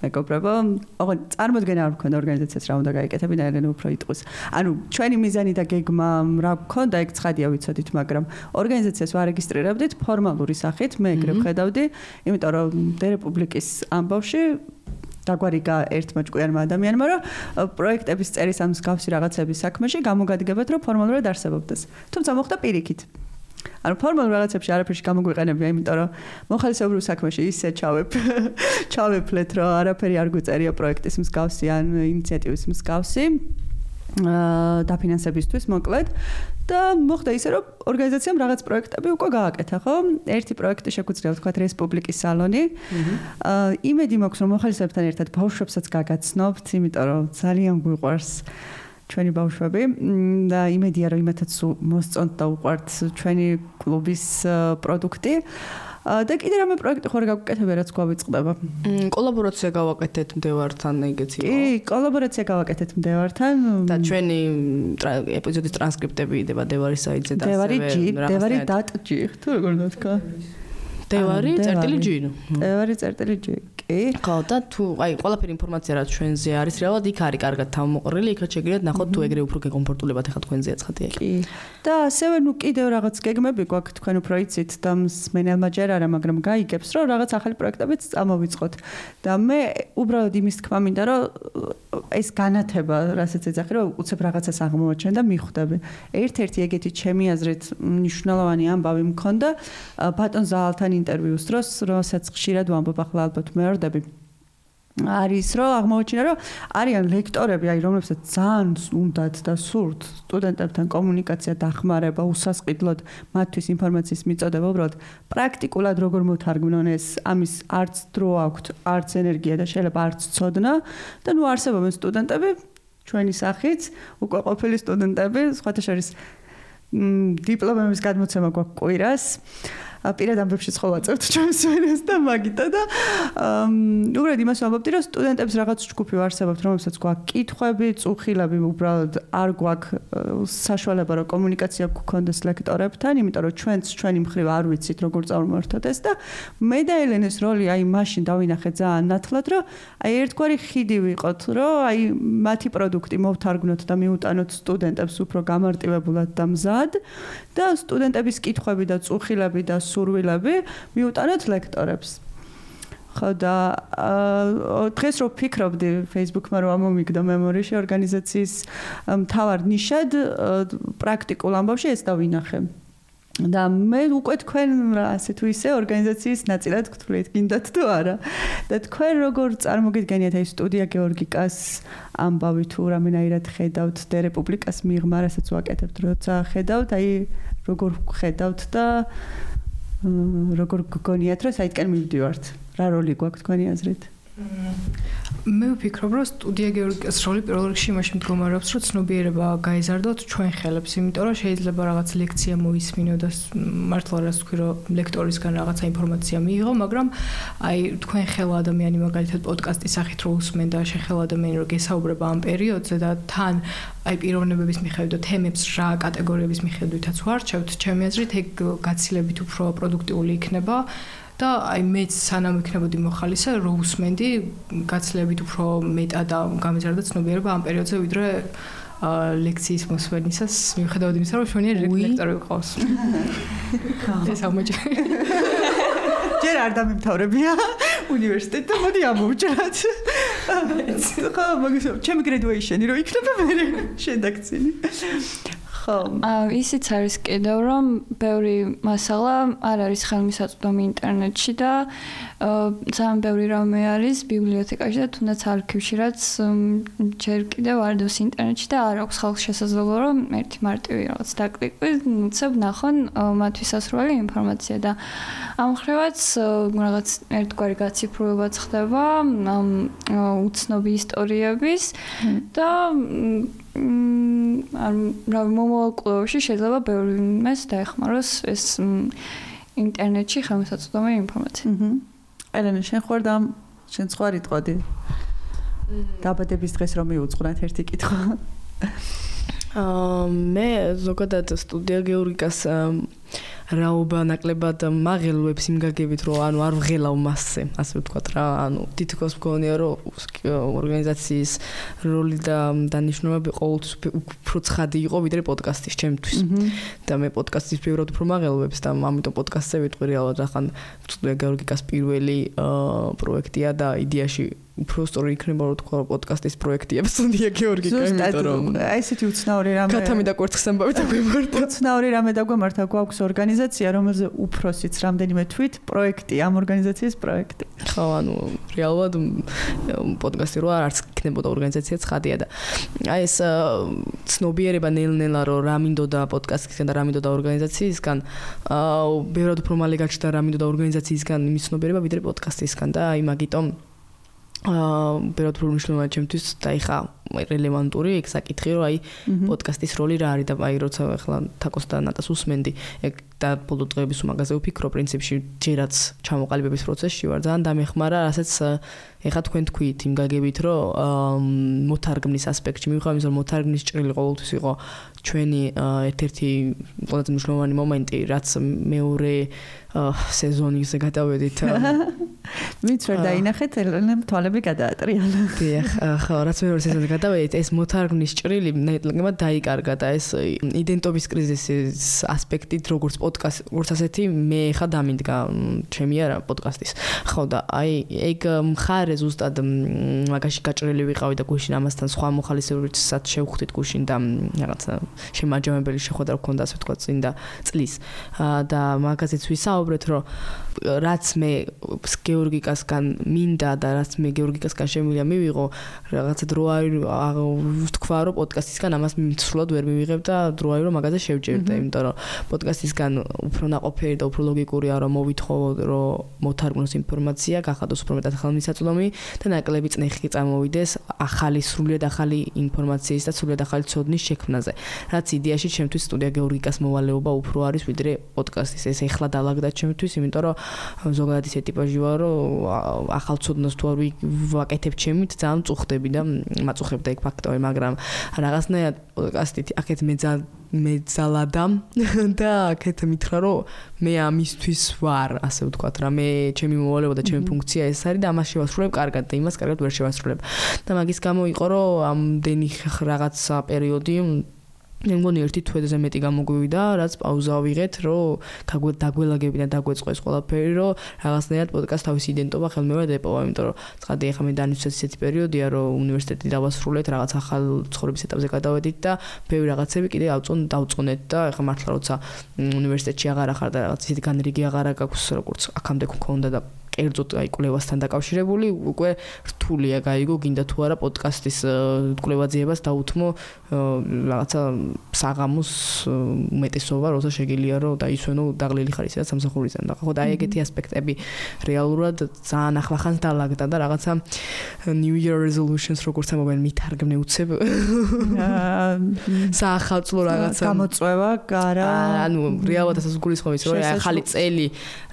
მეგობრებო, ოღონდ წარმოდგენა არ მქონდა ორგანიზაციას რა უნდა გაიკეთებინა, ელენე უფრო იტყვის. ანუ ჩვენი მიზანი და გეგმა რა მქონდა, ეგ ცხადია ვიცოდით, მაგრამ ორგანიზაციას ვარეგისტრირებდით ფორმალური სახით, მე ეგრე ვხედავდი, იმიტომ რომ დერეპუბლიკის ამბავში დაგვარიგა ერთმა ჭკვიანმა ადამიანმა, რომ პროექტების წერის ამ მსგავსი რაღაცების საქმეში გამოგადგებათ, რომ ფორმალურად არსებობდეს. თუმცა მოხდა პირიქით. ანუ ფორმალურ რაღაცებში არაფერში გამოგვიყენებია, იმიტომ რომ მოხალისეობრივ საქმეში ისე ჩავებ ჩავეფლეთ, რომ არაფერი არ გვიწერია პროექტის მსგავსი ან ინიციატივის მსგავსი დაფინანსებისთვის მოკლედ და მოხდა ისე, რომ ორგანიზაციამ რაღაც პროექტები უკვე გააკეთა, ხო? ერთი პროექტი შეგვიძლია ვთქვათ რესპუბლიკის სალონი. იმედი მაქვს, რომ მოხალისეებთან ერთად ბავშვებსაც გაგაცნობთ, იმიტომ რომ ძალიან გვიყვარს ჩვენი ბავშვები და იმედია რომ იმათაც მოსწონთ და უყვართ ჩვენი კლუბის პროდუქტი და კიდე რამე პროექტი ხარ გაგუკეთებია რაც გვავიწყდება. კოლაბორაცია გავაკეთეთ მდევართან ეგეთი იყო. კი, კოლაბორაცია გავაკეთეთ მდევართან და ჩვენი ეპიზოდის ტრანსკრიპტები იდება დევარის საიტზე და დევარი ჯი, დევარი დატ ჯი, თუ როგორ ნათქა? დევარი წერტილი ჯი. დევარი წერტილი ჯი. კი. ხო, და თუ აი ყველაფერი ინფორმაცია რაც ჩვენზე არის, რეალურად იქ არის კარგად თავმოყრილი, იქაც შეგიძლიათ ნახოთ თუ ეგრე უფრო გეკომფორტულებათ ახლა თქვენზეა ცხადია. კი. და ასევე ნუ კიდევ რაღაც გეგმები გვაქვს თქვენ უფრო იცით და მსმენელმა ჯერ არა, მაგრამ გაიგებს, რომ რაღაც ახალი პროექტებიც წამოვიწყოთ. და მე უბრალოდ იმის თქმა მინდა, რომ ეს განათება, რასაც ეძახი, რომ უცებ რაღაცას აღმოვაჩენ და მიხვდები. ერთ-ერთი ეგეთი ჩემი აზრით მნიშვნელოვანი ამბავი მქონდა ბატონ ზაალთან ინტერვიუს დროს, რომელსაც ხშირად ვამბობ, ახლა ალბათ მეორდები. არის რომ აღმოჩნდა რომ არიან ლექტორები, აი რომლებსაც ძალიან უნდათ და სურთ სტუდენტებთან კომუნიკაცია დახმარება, უსასყიდლოდ მათთვის ინფორმაციის მიწოდება, უბრალოდ პრაქტიკულად როგორ მოთარგმნონ ეს, ამის არც დრო აქვთ, არც ენერგია და შეიძლება არც ცოდნა და ნუ არსებობენ სტუდენტები ჩვენი სახით, უკვე ყოფილი სტუდენტები, სხვათა შორის დიპლომების გადმოცემა გვაქვს კვირას. პირად ამბებში ხოვაწევთ ჩვენს ვენას და მაგიტა და უბრალოდ იმას ვამბობდი, რომ სტუდენტებს რაღაც ჯგუფი ვარსებობთ, რომელსაც გვაქვს კითხვები, წუხილები, უბრალოდ არ გვაქვს საშუალება, რომ კომუნიკაცია გქონდეს ლექტორებთან, იმიტომ რომ ჩვენც ჩვენი მხრივ არ ვიცით, როგორ წარმოვართოთ ეს და მე და ელენეს როლი აი მაშინ დავინახე ძალიან ნათლად, რომ აი ერთგვარი ხიდი ვიყოთ, რომ აი მათი პროდუქტი მოვთარგმნოთ და მიუტანოთ სტუდენტებს უფრო გამარტივებულად და მზად და სტუდენტების კითხვები და წუხილები და სურვილები მიუტანოთ ლექტორებს. ხო და დღეს რო ფიქრობდი Facebook-მა რომ ამომიგდო მემორიში ორგანიზაციის მთავარ ნიშად პრაქტიკულ ამბავში ეს დავინახე. და მე უკვე თქვენ ასე თუ ისე ორგანიზაციის ნაწილად გთვლით, გინდათ თუ არა. და თქვენ როგორ წარმოგიდგენიათ აი სტუდია გეორგიკას ამბავი თუ რამენაირად ხედავთ და რესპუბლიკას მიღმა, რასაც ვაკეთებთ, როცა ხედავთ, აი როგორ ხედავთ და როგორ გგონიათ, რომ საითკენ მივდივართ? რა როლი გვაქვს თქვენი აზრით? მე ვფიქრობ, რომ სტუდია გეორგიკას როლი პირველ რიგში იმაში მდგომარეობს, რომ ცნობიერება გაიზარდოთ ჩვენ ხელებს, იმიტომ რომ შეიძლება რაღაც ლექცია მოისმინო და მართლა რას ვთქვი, რომ ლექტორისგან რაღაცა ინფორმაცია მიიღო, მაგრამ აი თქვენ ხელა ადამიანი მაგალითად პოდკასტის სახით რო უსმენ და შეხელა ადამიანი რო გესაუბრება ამ პერიოდზე და თან აი პიროვნებების მიხედვით და თემებს რა კატეგორიების მიხედვითაც ვარჩევთ, ჩემი აზრით ეგ გაცილებით უფრო პროდუქტიული იქნება. და აი მეც სანამ ვიქნებოდი მოხალისე, რო უსმენდი, გაცილებით უფრო მეტად გამიზარდა ცნობიერება ამ პერიოდზე, ვიდრე ლექციის მოსმენისას, მიუხედავად იმისა, რომ შვენიერი ლექტორი ვიყავს. ეს ამოჭი. ჯერ არ დამემთავრებია უნივერსიტეტი და მოდი ამოვჭრათ. ხო, მაგის ჩემი graduation-ი რო იქნება მე შედაქცინი. ხო. აა ისიც არის კიდევ რომ ბევრი მასალა არ არის ხელმისაწვდომი ინტერნეტში და ძალიან ბევრი რამე არის ბიბლიოთეკაში და თუნდაც არქივში, რაც ჯერ კიდევ არ დევს ინტერნეტში და არ აქვს ხალხს შესაძლებლობა რომ ერთი მარტივი რაღაც დაკლიკვით, უცებ ნახონ მათთვის ასრული ინფორმაცია და ამ ხრივაც რაღაც ერთგვარი გაციფრულებაც ხდება ამ უცნობი ისტორიების და არ რა მომავალში შეიძლება ბევრი იმას დაეხმაროს ეს ინტერნეტში ხელმისაწვდომი ინფორმაცია. აჰა. ელენე, შენ ხوار და შენ სხვა რიტყოდი. დაბადების დღეს რომ მიუძღვნათ ერთი კითხვა. აა მე ზოგადად სტუდია გეორგიკას რაობა ნაკლებად მაღელვებს იმ გაგებით, რომ ანუ არ ვღელავ მასზე, ასე ვთქვათ რა, ანუ თითქოს მგონია, რომ ორგანიზაციის როლი და დანიშნულება ყოველთვის უფრო ცხადი იყო, ვიდრე პოდკასტის ჩემთვის. და მე პოდკასტის ბევრად უფრო მაღელვებს და ამიტომ პოდკასტზე ვიტყვი რეალურად, ახან სტუდია გეორგიკას პირველი პროექტია და იდეაში უფრო სწორი იქნება რომ თქვა პოდკასტის პროექტია სტუდია გეორგიკა, იმიტომ რომ აი ესეთი უცნაური რამე კათამი და კვერცხს ამბავი დაგვემართა. უცნაური რამე დაგვემართა, გვაქვს ორგანიზაცია, რომელზე უფროსიც რამდენიმე თვით პროექტი, ამ ორგანიზაციის პროექტი. ხო, ანუ რეალურად პოდკასტი რო არც იქნებოდა ორგანიზაცია ცხადია და აი ეს ცნობიერება ნელ-ნელა რომ რა მინდოდა პოდკასტისგან და რა მინდოდა ორგანიზაციისგან, აა ბევრად უფრო მალე გაჩნდა რა მინდოდა ორგანიზაციისგან იმის ცნობიერება ვიდრე პოდკასტისგან და აი მაგიტომ აა ბევრად უფრო მნიშვნელოვანია ჩემთვის და ეხა რელევანტური ეგ საკითხი რომ აი პოდკასტის როლი რა არის და აი როცა ახლა თაკოს და ნატას უსმენდი ეგ და ბოლო დღეების უმაგაზე ვფიქრო პრინციპში ჯერაც ჩამოყალიბების პროცესში ვარ ძალიან დამეხმარა რასაც ეხა თქვენ თქვით იმ გაგებით რომ მოთარგმნის ასპექტში მივხვდი რომ მოთარგმნის ჭრილი ყოველთვის იყო ჩვენი ერთ-ერთი ყველაზე მნიშვნელოვანი მომენტი რაც მეორე სეზონზე გადავედით ვინც ვერ დაინახეთ ელენემ თვალები გადაატრიალა დიახ ხო რაც მეორე სეზონზე გადავედით ეს მოთარგმნის ჭრილი ნეტლგებად დაიკარგა და ეს იდენტობის კრიზისის ასპექტით როგორც პოდკასტ როგორც ასეთი მე ხა დამინდგა ჩემი არა პოდკასტის ხო და აი ეგ მხარე ზუსტად მაგაში გაჭრილი ვიყავი და გუშინ ამასთან სხვა მოხალისეებითაც შევხვდით გუშინ და რაღაცა შემაჯამებელი შეხვედრა გქონდა ასე ვთქვა წინ და წლის და მაგაზეც ვისაუბრეთ რომ რაც მე გეორგიკასგან მინდა და რაც მე გეორგიკასგან შემიძლია მივიღო რაღაცა დრო არის ვთქვა რომ პოდკასტისგან ამას სრულად ვერ მივიღებ და დრო არის რომ მაგაზე შევჯერდე იმიტომ რომ პოდკასტისგან უფრო ნაყოფიერი და უფრო ლოგიკურია რომ მოვითხოვო რომ მოთარგმნოს ინფორმაცია გახადოს უფრო მეტად ხელმისაწვდომი და ნაკლები წნეხი წამოვიდეს ახალი სრულად ახალი ინფორმაციის და სრულად ახალი ცოდნის შექმნაზე რაც იდეაში ჩემთვის სტუდია გეორგიკას მოვალეობა უფრო არის ვიდრე პოდკასტის ეს ეხლა დაალაგდა ჩემთვის იმიტომ რომ ზოგადად ისე ტიპაჟი ვარ რომ ახალ ცოდნას თუ არ ვაკეთებ ჩემით ძალიან მწუხდები და მაწუხებდა ეგ ფაქტორი მაგრამ რაღაცნაირად პოდკასტით აქეთ მეძალ მეძალადა და აქეთ მითხრა რომ მე ამისთვის ვარ ასე ვთქვათ რა მე ჩემი მოვალეობა და ჩემი ფუნქცია ეს არის და ამას შევასრულებ კარგად და იმას კარგად ვერ შევასრულებ და მაგის გამო იყო რომ ამდენი რაღაცა პერიოდი მე მგონი ერთი თვეზე მეტი გამოგვივიდა, რაც პაუზა ვიღეთ, რომ დაგველაგები და დაგვეწყოს ყველაფერი, რომ რაღაცნაირად პოდკასტ თავის იდენტობა ხელმეორედ ეპოვა, იმიტომ რომ ცხადი ახლა მე დანიჩეს ისეთი პერიოდია, რომ უნივერსიტეტი დავასრულეთ, რაღაც ახალ ცხოვრების ეტაპზე გადავედით და ბევრი რაღაცები კიდე ავწონ დავწონეთ და ახლა მართლა როცა უნივერსიტეტში აღარ ახარ და რაღაც ისეთი განრიგი აღარ აქვს, როგორც აქამდე გქონდა და კერძოდ აი კვლევასთან დაკავშირებული უკვე რთულია გაიგო გინდა თუ არა პოდკასტის კვლევაძიებას დაუთმო რაღაცა საღამოს უმეტესობა როცა შეგიძლია რომ დაისვენო დაღლილი ხარ ისედაც სამსახურიდან და ხო და აი ეგეთი ასპექტები რეალურად ძალიან ახლახანს დაალაგდა და რაღაცა New Year resolutions როგორც ამობენ მითარგმნე უცებ საახალწლო რაღაცა გამოწვევა გარა ანუ რეალურად ასე გულისხმობ ის რომ ახალი წელი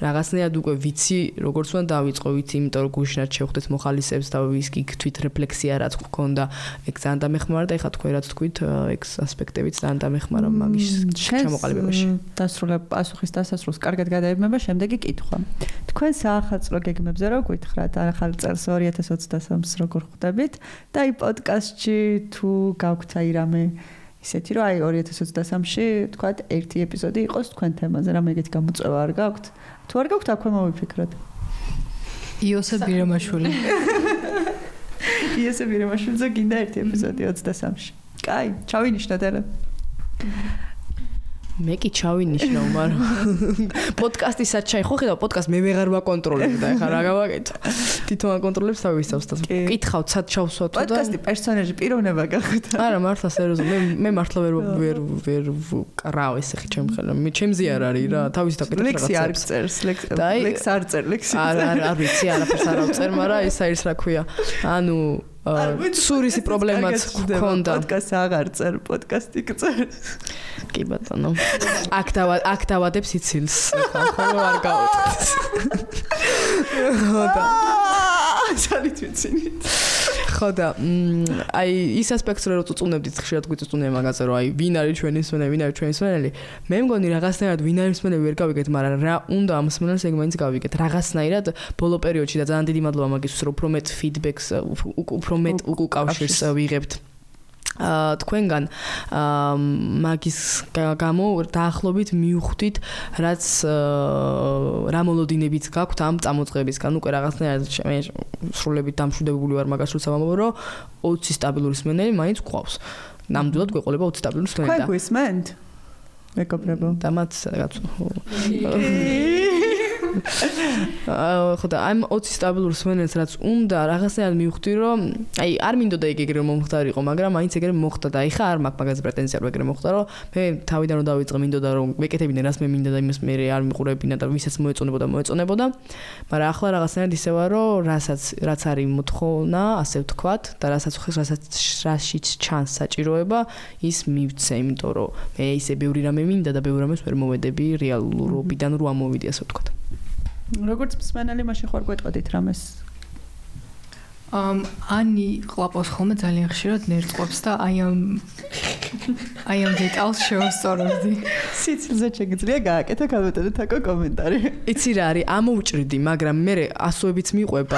რაღაცნაირად უკვე ვიცი როგორც ვან დავიწყო ვიცი იმიტომ რომ გუშინად შევხვდეთ მოხალისეებს და ვისკი თვით რეფლექსია რაც გქონდა ეგ ძალიან დამეხმარა და ეხლა თქვენ რაც თქვით ეგ ასპექტებიც ძალიან დამეხმარა მაგის ჩამოყალიბებაში დასრულებ პასუხის დასასრულს კარგად გადაებმება შემდეგი კითხვა თქვენ საახალწლო გეგმებზე რო გითხრათ ახალ წელს ორი ათას ოცდასამს როგორ ხვდებით და აი პოდკასტში თუ გაგვთ აი რამე ისეთი რომ აი ორი ათას ოცდასამში თქვათ ერთი ეპიზოდი იყოს თქვენ თემაზე რამე ეგეთი გამოწვევა არ გაგვთ თუ არ გაგვთ აქვე მოვიფიქროთ იოსებ ბირამაშვილი. იოსებ ბირამაშვილზე გინდა ერთი ეპიზოდი ოცდასამში. კაი, ჩავინიშნოთ ელე. მე კი ჩავინიშნო, მაგრამ პოდკასტის საჩაი ხო ხედავ პოდკასტ მე ვეღარ ვაკონტროლებ და ეხლა რა გავაკეთო. თვითონ აკონტროლებს თავის თავს და კითხავ ცად ჩავსვათ და პოდკასტი პერსონაჟი პიროვნება გახვდა. არა, მართლა სერიოზულად მე მე მართლა ვერ ვერ ვერ კრავ ესე ხი ჩემ ხელა. მე ჩემზე არ არის რა, თავის დაკეთებ რაღაცებს. ლექსი არ წერს, ლექსი არ წერ, ლექსი. არა, არა, არ ვიცი, არაფერს არ ავწერ, მაგრამ ეს არის რა ქვია. ანუ სურისი პრობლემაც გქონდა. პოდკასტი აღარ წერ, პოდკასტი წერს. კი ბატონო. აქ დავა აქ დავადებ სიცილს. ხო არ გავუტყვის. ხო და ძალიან ვიცინი. ხო და აი ის ასპექტს რო წუწუნებდით ხშირად გვიწუწუნია მაგაზე რომ აი ვინ არის ჩვენი მსმენელი, ვინ არის ჩვენი მსმენელი. მე მგონი რაღაცნაირად ვინ არის მსმენელი ვერ გავიგეთ, მაგრამ რა უნდა ამ მსმენელს ეგ მაინც გავიგეთ. რაღაცნაირად ბოლო პერიოდში და ძალიან დიდი მადლობა მაგისთვის რომ უფრო მეტ ფიდბექს უფრო მეტ უკავშირს ვიღებთ. აა თქვენგან აა მაგის გამო დაახლოებით მივხვდით რაც რა მოლოდინებიც გაქვთ ამ წამოწყებისგან უკვე რაღაცნაირად მე სრულებით დამშვიდებული ვარ მაგას როცა ვამბობ რომ ოცი სტაბილური მსმენელი მაინც გვყავს ნამდვილად გვეყოლება ოცი სტაბილური მსმენელი და თქვენ გვისმენთ მეკობრებო და მათ რაღაც ხო და ამ ოცი სტაბილურ სვენელს რაც უნდა რაღაცნაირად მივხვდი რომ აი არ მინდოდა იქ ეგრე მომხდარიყო მაგრამ მაინც ეგრე მოხდა და აი ხა არ მაქვს მაგაზე პრეტენზია რომ ეგრე მოხდა რომ მე თავიდან რომ დავიწყე მინდოდა რომ ვეკეთებინე რას მე მინდა და იმას მე არ მიყურებინა და ვისაც მოეწონებოდა მოეწონებოდა მაგრამ ახლა რაღაცნაირად ისევა რომ რასაც რაც არის მოთხოვნა ასე ვთქვათ და რასაც რასაც რაშიც ჩანს საჭიროება ის მივცე იმიტომ რომ მე ისე ბევრი რამე მინდა და ბევრი რამეს ვერ მოვედები რეალურობიდან რო ამოვიდი ასე ვთქვათ როგორც მსმენელი მაშინ ხარ გვეტყოდით რამეს ამ ანი ყლაპოს ხოლმე ძალიან ხშირად ნერწყობს და აი ამ აი ამ დეტალს შევასწორებდი. სიცილზე შეგიძლია გააკეთა გამოტანო თაკო კომენტარი. იცი რა არის ამოვჭრიდი, მაგრამ მე ასოებიც მიყვება.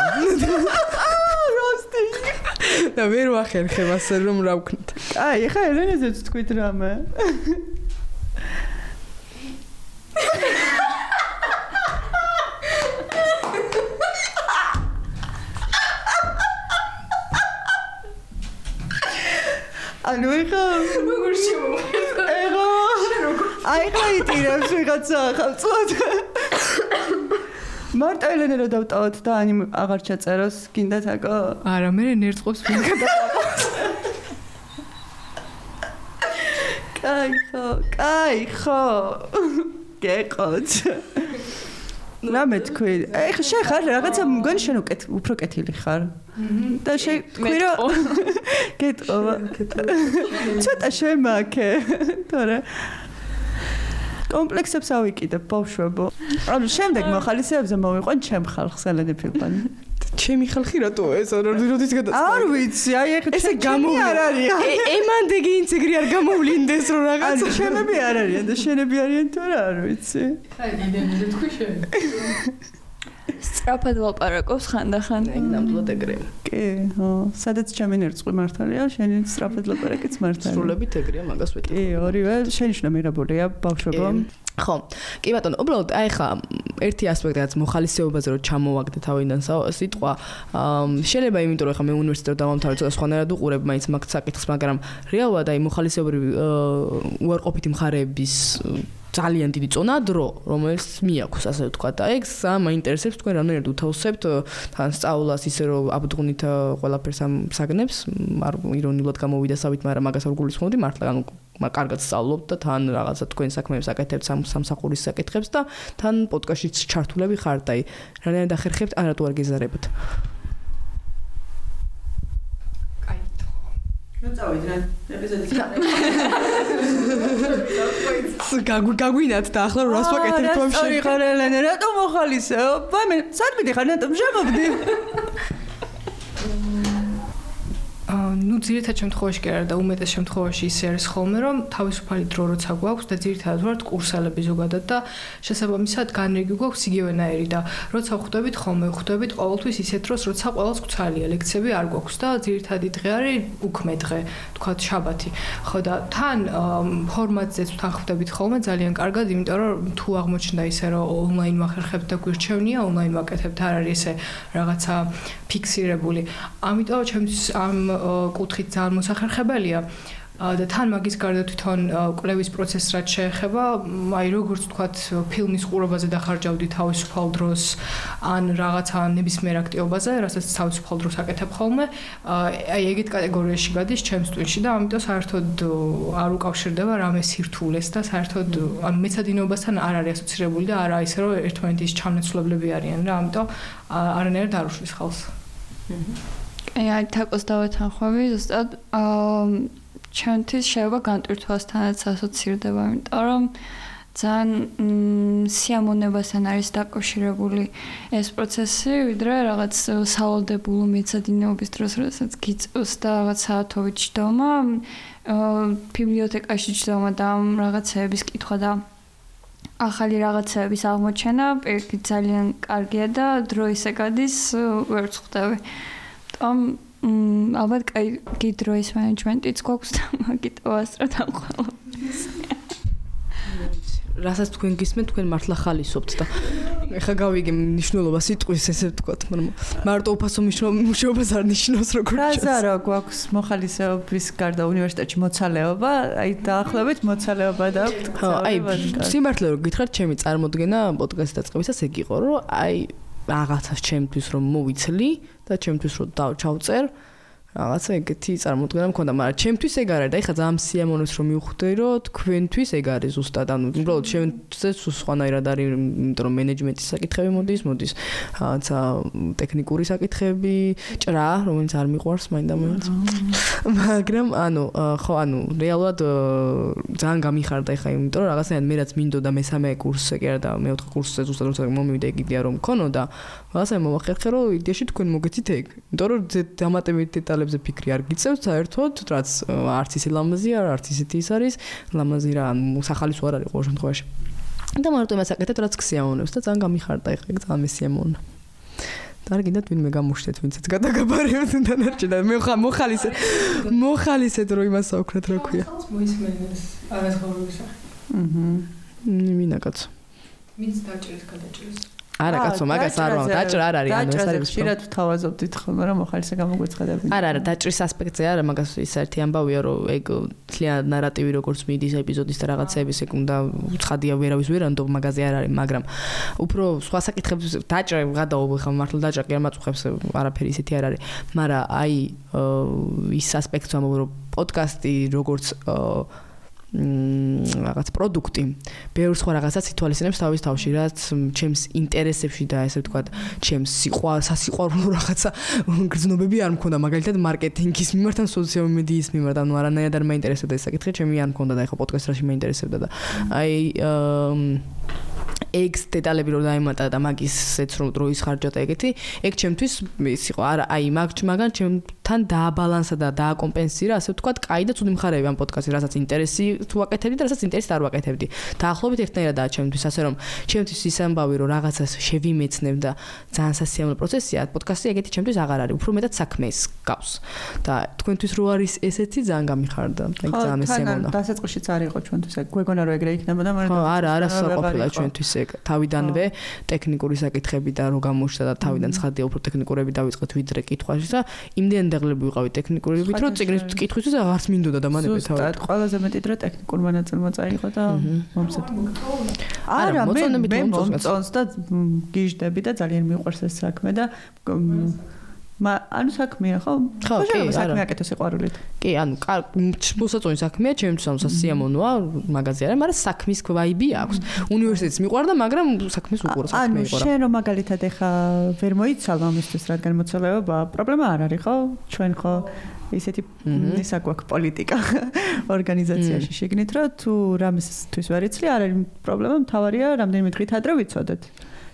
როსტი. და ვერ ვახერხებ ასე რომ რა ვქნათ. აი, ხა ელენეზეც თქვით რამე. ანუ ეხა როგორ შემოვიდა? ეხა აი ხა იტირებს ვიღაცა ხალწოდ. მარტო ელენე რა დავტავოთ და ანი აღარ ჩაწეროს გინდა თაკო? არა, მე ნერწყობს ვინ გადაყავს. კაი ხო, კაი ხო. გეყოთ. რა მე თქვი? ეხა შენ ხარ რაღაცა მგონი შენ უფრო კეთილი ხარ. და შე თქვი რომ გეტყობა. ცოტა შემაქე. თორე კომპლექსებს ავიკიდებ ბავშვებო. ანუ შემდეგ მოხალისეებზე მოვიყვან ჩემ ხალხს ელენე ფილტონი. ჩემი ხალხი რატო ეს როდის გადაწყდა? არ ვიცი, აი ეხლა ესე გამოვი არ არის. ემანდეგი ინცეგრი არ გამოვლინდეს რომ რაღაც შენები არ არიან და შენები არიან თუ რა არ ვიცი. აი დიდემზე თქვი შენ. სწრაფად ვლაპარაკობს ხანდახან. ეგ ნამდვილად ეგრე. კი, ხო, სადაც ჩემი ნერწყვი მართალია, შენი სწრაფად ვლაპარაკიც მართალია. სრულებით ეგრეა, მაგას ვეტყვი. კი, ორივე შენიშნა მიღებულია ბავშვებო. ხო, კი ბატონო, უბრალოდ აი ხა ერთი ასპექტი რაც მოხალისეობაზე რომ ჩამოვაგდე თავიდან სიტყვა, შეიძლება იმიტომ რომ ხა მე უნივერსიტეტში დავამთავრე და სხვანაირად უყურებ მაინც მაგ საკითხს, მაგრამ რეალურად აი მოხალისეობრივი უარყოფითი მხარეების ძალიან დიდი წონა დრო, რომელიც მიაქვს, ასე ვთქვათ. და ეგ მაინტერესებს თქვენ რამდენად უთავსებთ თან სწავლას ისე რომ აბდღუნით ყველაფერს ამ საგნებს, არ ირონიულად გამოვიდა სავით, მაგრამ მაგას არ გულისხმობდი მართლა, ანუ კარგად სწავლობთ და თან რაღაცა თქვენ საქმეებს აკეთებთ სამსახურის საკითხებს და თან პოდკასტშიც ჩართულები ხართ, აი, რამდენად ახერხებთ, ან რატო არ გეზარებთ? ნუ წავიდნენ ეპიზოდის გაგვინათ და ახლა რას ვაკეთებთ ამ შენ? ხარ ელენე, რატო მოხალისეო? ვამე, სად მიდიხარ, რატომ შემოვდი? ну ძირითად შემთხვევაში კი არა და უმეტეს შემთხვევაში ისე არის ხოლმე რომ თავისუფალი დრო როცა გვაქვს და ძირითადად ვართ კურსელები ზოგადად და შესაბამისად განრიგი გვაქვს იგივენაირი და როცა ხვდებით ხოლმე ხვდებით ყოველთვის ისეთ დროს როცა ყველას გვცალია ლექციები არ გვაქვს და ძირითადი დღე არის უქმე დღე თქვათ შაბათი ხო და თან ფორმატზეც თან ხვდებით ხოლმე ძალიან კარგად იმიტომ რომ თუ აღმოჩნდა ისე რომ ონლაინ ვახერხებთ და გვირჩევნია ონლაინ ვაკეთებთ არ არის ესე რაღაცა ფიქსირებული ამიტომ ჩემთვის ამ კუთხით ძალიან მოსახერხებელია და თან მაგის გარდა თვითონ კვლევის პროცესს რაც შეეხება, აი როგორც ვთქვათ, ფილმის ყურებაზე დახარჯავდი თავისუფალ დროს, ან რაღაცა ნებისმიერ აქტივობაზე, რასაც თავისუფალ დროს აკეთებ ხოლმე, აი ეგეთ კატეგორიაში გადის ჩემს ტვინში და ამიტომ საერთოდ არ უკავშირდება რამე სირთულეს და საერთოდ ანუ მეცადინეობასთან არ არის ასოცირებული და არა ისე რომ ერთმანეთის ჩამნაცვლებლები არიან რა, ამიტომ არანაირად არ უშლის ხალხს. აი თაკოს დავეთანხმები ზუსტად ჩემთვის შეიძლება განტვირთვასთანაც ასოცირდება, იმიტომ რომ ძალიან სიამოვნებასთან არის დაკავშირებული ეს პროცესი, ვიდრე რაღაც სავალდებულო მეცადინეობის დროს, როდესაც გიწევს და რაღაც საათობით ჯდომა, ბიბლიოთეკაში ჯდომა და რაღაცეების კითხვა და ახალი რაღაცეების აღმოჩენა, პირიქით ძალიან კარგია და დრო ისე გადის, ვერ ვხვდები. ამ ალბათ კაი დროის მენეჯმენტიც გვაქვს და მაგით ვასწროთ ამ ყველაფერს. რასაც თქვენ გისმენთ, თქვენ მართლა ხალისობთ და ეხა გავიგე მნიშვნელობა სიტყვის ესე ვთქვათ, მაგრამ მარტო უფასო მნიშვნელობას არ ნიშნავს როგორ ჩანს. რაზა რა გვაქვს მოხალისეობის გარდა უნივერსიტეტში მოცალეობა, აი დაახლოებით მოცალეობა და ხო, აი სიმართლე რომ გითხრათ, ჩემი წარმოდგენა პოდკასტის დაწყებისას ეგ იყო, რომ აი რაღაცას ჩემთვის რომ მოვიცლი და ჩემთვის რომ დავჩავწერ რაღაცა ეგეთი წარმოდგენა მქონდა, მაგრამ ჩემთვის ეგ არ არის და ეხლა ძალიან სიამოვნებს რომ მივხვდე რომ თქვენთვის ეგ არის ზუსტად, ანუ უბრალოდ ჩემთვის სხვანაირად არის, იმიტომ რომ მენეჯმენტის საკითხები მოდის, მოდის რაღაცა ტექნიკური საკითხები, ჭრა, რომელიც არ მიყვარს მაინდა-მაინც. მაგრამ ანუ ხო, ანუ რეალურად ძალიან გამიხარდა ეხლა, იმიტომ რომ რაღაცნაირად მე რაც მინდოდა მესამე კურსზე კი არა და მეოთხე კურსზე ზუსტად როცა მომივიდა ეგ იდეა რომ მქონოდა, რაღაცა მომახერხე რომ იდეაში თქვენ მოგეცით ეგ, იმიტომ რომ დამატებით დეტალებზე ფიქრი არ გიწევთ საერთოდ, რაც არც ისე ლამაზია, არც ისეთი ის არის, ლამაზი რა, სახალისო არ არის ყოველ შემთხვევაში. და მარტო იმას აკეთებ, რაც გსიამოვნებს და ძალიან გამიხარდა ეხლა, ეგ ძალიან მესიამოვნა. და არ გინდათ ვინმე გამოშვიდეთ, ვინცაც გადაგაბარებთ დანარჩენ და მე მოხალისე მოხალისეთ რომ იმას აუქრათ რა ქვია. მოისმენს არასხაურების სახე. აჰა. მინაკაც. მიც დაჭერეს გადაჭერეს. არა კაცო, მაგას არ ვარ, დაჭრა არ არის, ანუ ეს არის ხშირად ვთავაზობდით ხოლმე რომ მოხალისე გამოგვეცხადები. არა, არა, დაჭრის ასპექტზე არა, მაგას ის ერთი ამბავია, რომ ეგ თლიან ნარატივი როგორც მიდის ეპიზოდის და რაღაცების ეგ უნდა ცხადია ვერავის ვერანდო მაგაზე არ არის, მაგრამ უფრო სხვა საკითხებს დაჭრა გადაობ ხა მართლა დაჭრა კი არ მაწუხებს, არაფერი ისეთი არ არის, მაგრამ აი ის ასპექტს ამბობ რომ პოდკასტი როგორც რაღაც პროდუქტი ბევრ სხვა რაღაცას ითვალისწინებს თავის თავში, რაც ჩემს ინტერესებში და ესე ვთქვათ, ჩემს სიყვარულ, სასიყვარულო რაღაცა გრძნობები არ მქონდა, მაგალითად მარკეტინგის მიმართ ან სოციალური მედიის მიმართ, ანუ არანაირად არ მაინტერესებდა ეს საკითხი, ჩემი არ მქონდა და ეხლა პოდკასტში მაინტერესებდა და აი ეგს დეტალები რომ დაემატა და მაგისეც რომ დროის ხარჯა და ეგეთი, ეგ ჩემთვის ის იყო, არა, აი მაგ მაგან ჩემთან დააბალანსა და დააკომპენსირა, ასე ვთქვათ, კაი და ცუდი მხარეები ამ პოდკასტში, რასაც ინტერესი თუ აკეთებდი და რასაც ინტერესი არ ვაკეთებდი. დაახლოებით ერთნაირადაა ჩემთვის, ასე რომ ჩემთვის ის ამბავი რომ რაღაცას შევიმეცნებ და ძალიან სასიამოვნო პროცესია, პოდკასტი ეგეთი ჩემთვის აღარ არის, უფრო მეტად საქმეს გავს. და თქვენთვის რო არის ესეთი ძალიან გამიხარდა, ეგ ძალიან მესიამოვნა. ხო, დასაწყისშიც არ იყო ჩვენთვის ეგ. გვეგონა რომ ეგრე იქნებოდა, მაგრამ ხო, არა, არასოდეს ყოფილა ჩვენთვის ეგ. თავიდანვე ტექნიკური საკითხები და რო გამოჩნდა და თავიდან ცხადია უფრო ტექნიკურები დავიწყეთ ვიდრე კითხვაში და იმდენ დაღლები ვიყავი ტექნიკურებით, რომ წიგნის კითხვისთვის აღარც მინდოდა და მანე პეთავი. ზუსტად, ყველაზე მეტი დრო ტექნიკურმა ნაწილმა წაიღო და მომწონდა. არა, მე მომწონს და გიჟდები და ძალიან მიყვარს ეს საქმე და მა ანუ საქმეა ხო? ხო, კი, საქმე აკეთო სიყვარულით. კი, ანუ მოსაწონი საქმეა, ჩემთვის ამ სასიამოვნოა, მაგაზე არა, მაგრამ საქმის ვაიბი აქვს. უნივერსიტეტს მიყვარდა, მაგრამ საქმის უყურა საქმე იყო რა. ანუ შენ რომ მაგალითად ეხა ვერ მოიცალ ამისთვის, რადგან მოცალეობა, პრობლემა არ არის ხო? ჩვენ ხო ისეთი ისა გვაქვს პოლიტიკა ორგანიზაციაში შეგნით, რომ თუ რამისთვის ვერ იცლი, არ არის პრობლემა, მთავარია რამდენიმე დღით ადრე ვიცოდეთ.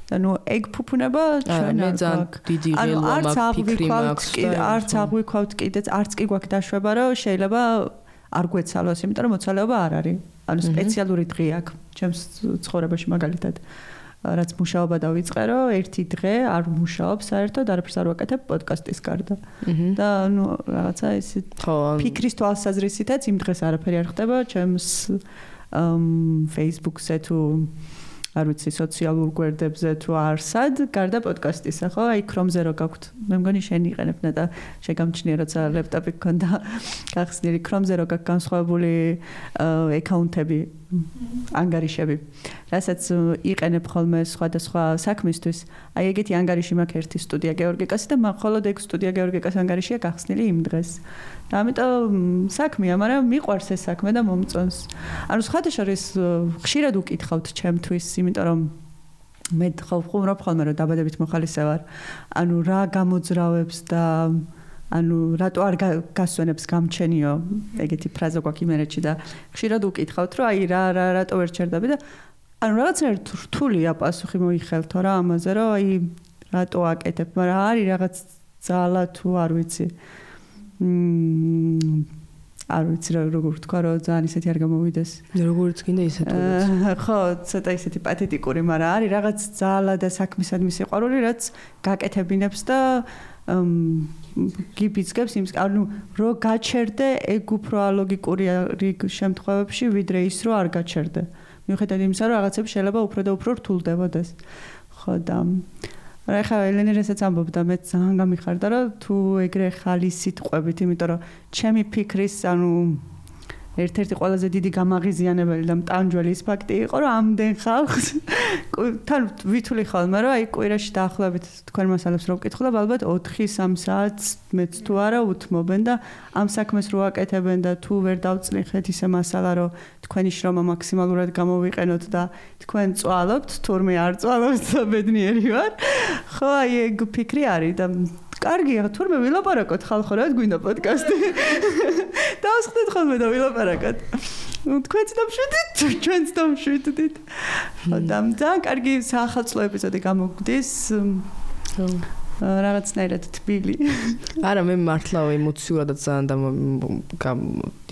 ანუ ეგ ფუფუნება ჩვენ არ გვაქვს. დიდი ღელვა მაქვს, ფიქრი მაქვს. არც აღვიქვავთ კიდეც, არც კი გვაქვს დაშვება, რომ შეიძლება არ გვეცალოს, იმიტომ რომ მოცალეობა არ არის. ანუ სპეციალური დღე აქვს ჩემს ცხოვრებაში მაგალითად. რაც მუშაობა დავიწყე, რომ ერთი დღე არ მუშაობ საერთოდ, არაფერს არ ვაკეთებ პოდკასტის გარდა. და ანუ რაღაცა ეს ფიქრის თვალსაზრისითაც იმ დღეს არაფერი არ ხდება ჩემს Facebook-ზე თუ არ ვიცი სოციალურ გვერდებზე თუ არსად, გარდა პოდკასტისა, ხო? აი Chrome-ზე რო გაქვთ. მე მგონი შენ იყენებნა და შეგამჩნია, როცა ლეპტოპი გქონდა გახსნილი Chrome-ზე რო გაქვს განსხვავებული აკაუნტები, ანგარიშები, რასაც იყენებ ხოლმე სხვადასხვა საქმისთვის. აი ეგეთი ანგარიში მაქვს ერთი სტუდია გეორგიკასი და მაგ ხოლოდ ეგ სტუდია გეორგიკას ანგარიშია გახსნილი იმ დღეს. და ამიტომ საქმეა, მაგრამ მიყვარს ეს საქმე და მომწონს. ანუ სხვადასხვა ხშირად უკითხავთ ჩემთვის, იმიტომ რომ მე ხო ვხუმრობ ხოლმე რომ დაბადებით მოხალისე ვარ. ანუ რა გამოძრავებს და ანუ რატო არ გასვენებს გამჩენიო, ეგეთი ფრაზა გვაქვს იმერეთში და ხშირად უკითხავთ, რომ აი რა რა რატო ვერ ჩერდები და ანუ რაღაცნაირად რთულია პასუხი მოიხელთო რა ამაზე, რომ აი რატო აკეთებ, მაგრამ არის რაღაც ძალა თუ არ ვიცი. მმ არ ვიცი როგორ ვთქვა, რომ ძალიან ისეთი არ გამოვიდეს. როგორც გინდა ისეთი. ხო, ცოტა ისეთი პათეტიკური, მაგრამ არის რაღაც ძალა და საქმისადმი სიყვარული, რაც გაკეთებინებს და გიბიძგებს იმ ანუ რო გაჩერდე, ეგ უფრო ალოგიკური რიგ შემთხვევებში ვიდრე ის რო არ გაჩერდე. მიუხედავად იმისა, რომ რაღაცები შეიძლება უფრო და უფრო რთულდებოდეს. ხო და რა ხა ელენე რასაც ამბობდა მე ძალიან გამიხარდა რომ თუ ეგრე ხალი სიტყვებით იმიტომ რომ ჩემი ფიქრის ანუ ერთ-ერთი ყველაზე დიდი გამაღიზიანებელი და მტანჯველი ის ფაქტი იყო რომ ამდენ ხალხს თან ვითვლი ხოლმე რომ აი კვირაში დაახლოებით თქვენ მასალებს რო ვკითხულობ ალბათ ოთხი სამ საათს მეც თუ არა უთმობენ და ამ საქმეს რო აკეთებენ და თუ ვერ დავწნიხეთ ისე მასალა რომ თქვენი შრომა მაქსიმალურად გამოვიყენოთ და თქვენ წვალობთ თურმე არ წვალობთ და ბედნიერი ვარ ხო აი ეგ ფიქრი არის და კარგია თურმე ვილაპარაკოთ ხალხო რა გვინდა პოდკასტი დავსხდეთ ხოლმე და ვილაპარაკოთ თქვენც დამშვიდით ჩვენც დამშვიდით და ძალიან კარგი საახალწლო ეპიზოდი გამოგვდის რაღაცნაირად თბილი არა მე მართლა ემოციურადაც ძალიან და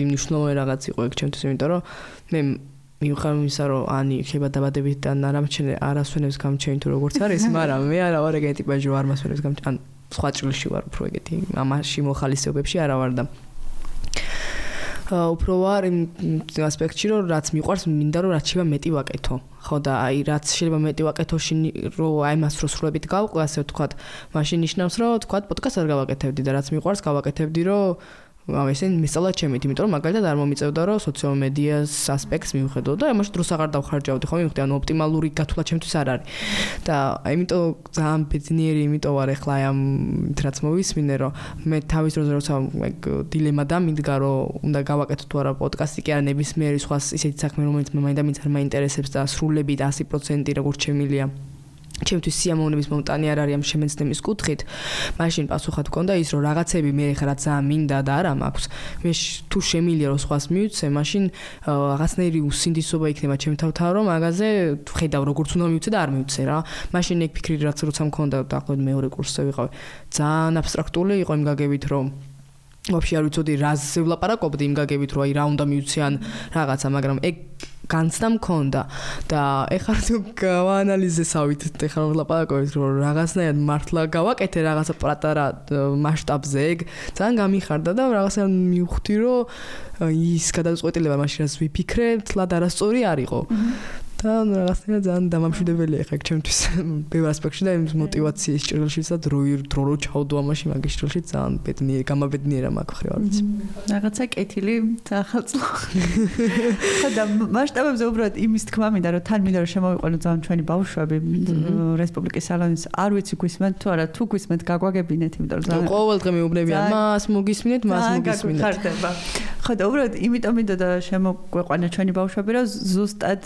მნიშვნელოვანი რაღაც იყო ეგ ჩემთვის იმიტომ რომ მე მიუხედავად იმისა რომ ანი ხება დაბადებით და არამჩენე არასვენებს გამჩენი თუ როგორც არის მაგრამ მე არა ვარ ეგეთი ტიპაჟი რომ არ მასვენებს გამჩენი სხვა ჭრილში ვარ უფრო ეგეთი ამაში მოხალისეობებში არა ვარ და უფრო ვარ იმ ასპექტში რომ რაც მიყვარს მინდა რომ რაც შეიძლება მეტი ვაკეთო ხო და აი რაც შეიძლება მეტი ვაკეთო რომ აი მას რო სრულებით გავყვე ასე ვთქვათ მაშინ ნიშნავს რომ ვთქვათ პოდკასტს არ გავაკეთებდი და რაც მიყვარს გავაკეთებდი რომ ამ ესე მისწავლა ჩემით, იმიტომ რომ მაგალითად არ მომიწევდა რომ სოციალურ მედიას ასპექტს მივხედო და ამაში დროს აღარ დავხარჯავდი, ხო მივხვდი, ანუ ოპტიმალური გათვლა ჩემთვის არ არის. და ამიტომ ძალიან ბედნიერი იმიტომ ვარ ახლა ამ რაც მოვისმინე, რომ მე თავის დროზე როცა ეგ დილემა დამიდგა, რომ უნდა გავაკეთო თუ არა პოდკასტი, კი არა ნებისმიერი სხვა ისეთი საქმე, რომელიც მე მაინდა-მაინც არ მაინტერესებს და სრულებით ასი პროცენტი როგორც შემილია. ჩემთვის სიამოვნების მომტანი არ არის ამ შემეცნების კუთხით. მაშინ პასუხად გქონდა ის რომ რაღაცები მე ხა რა ძალიან მინდა და არა მაქვს. მე თუ შემილია რომ სხვას მივცე, მაშინ რაღაცნაირი უსინდისობა იქნება ჩემ თავთან რომ მაგაზე ხედავ როგორც უნდა მივცე და არ მივცე რა. მაშინ ეგ ფიქრი რაც როცა მქონდა დაახლოებით მეორე კურსზე ვიყავი. ძალიან აბსტრაქტული იყო იმ გაგებით რომ ვაფშე არ ვიცოდი რაზე ვლაპარაკობდი იმ გაგებით რომ აი რა უნდა მივცე ან რაღაცა, მაგრამ ეგ განცდა მქონდა და ეხლა თუ გავაანალიზესავით ეხლა რომ ვლაპარაკობთ რომ რაღაცნაირად მართლა გავაკეთე რაღაცა პატარა მასშტაბზე ეგ ძალიან გამიხარდა და რაღაცა მივხვდი რომ ის გადაწყვეტილება მაშინ რაც ვიფიქრე თლად არასწორი არ იყო და რაღაცნაირად ძალიან დამამშვიდებელია ეხლა ჩემთვის ბევრ ასპექტში და იმ მოტივაციის ჭრილშიც და დრო დრო რო ჩავდო ამაში მაგის ჭრილში ძალიან ბედნიერი გამაბედნიერა მაქვს ხრივ არ ვიცი რაღაცა კეთილი ახალწლო ხო და მასშტაბებზე უბრალოდ იმის თქმა მინდა რომ თან მინდა რომ შემოვიყვანო ძალიან ჩვენი ბავშვები რესპუბლიკის სალონის არ ვიცი გვისმენთ თუ არა თუ გვისმენთ გაგვაგებინეთ იმიტომ რომ ძალიან ყოველდღე მეუბნებიან მას მოგისმინეთ მას მოგისმინეთ ხო და უბრალოდ იმიტომ მინდა და შემოგვიყვანო ჩვენი ბავშვები რომ ზუსტად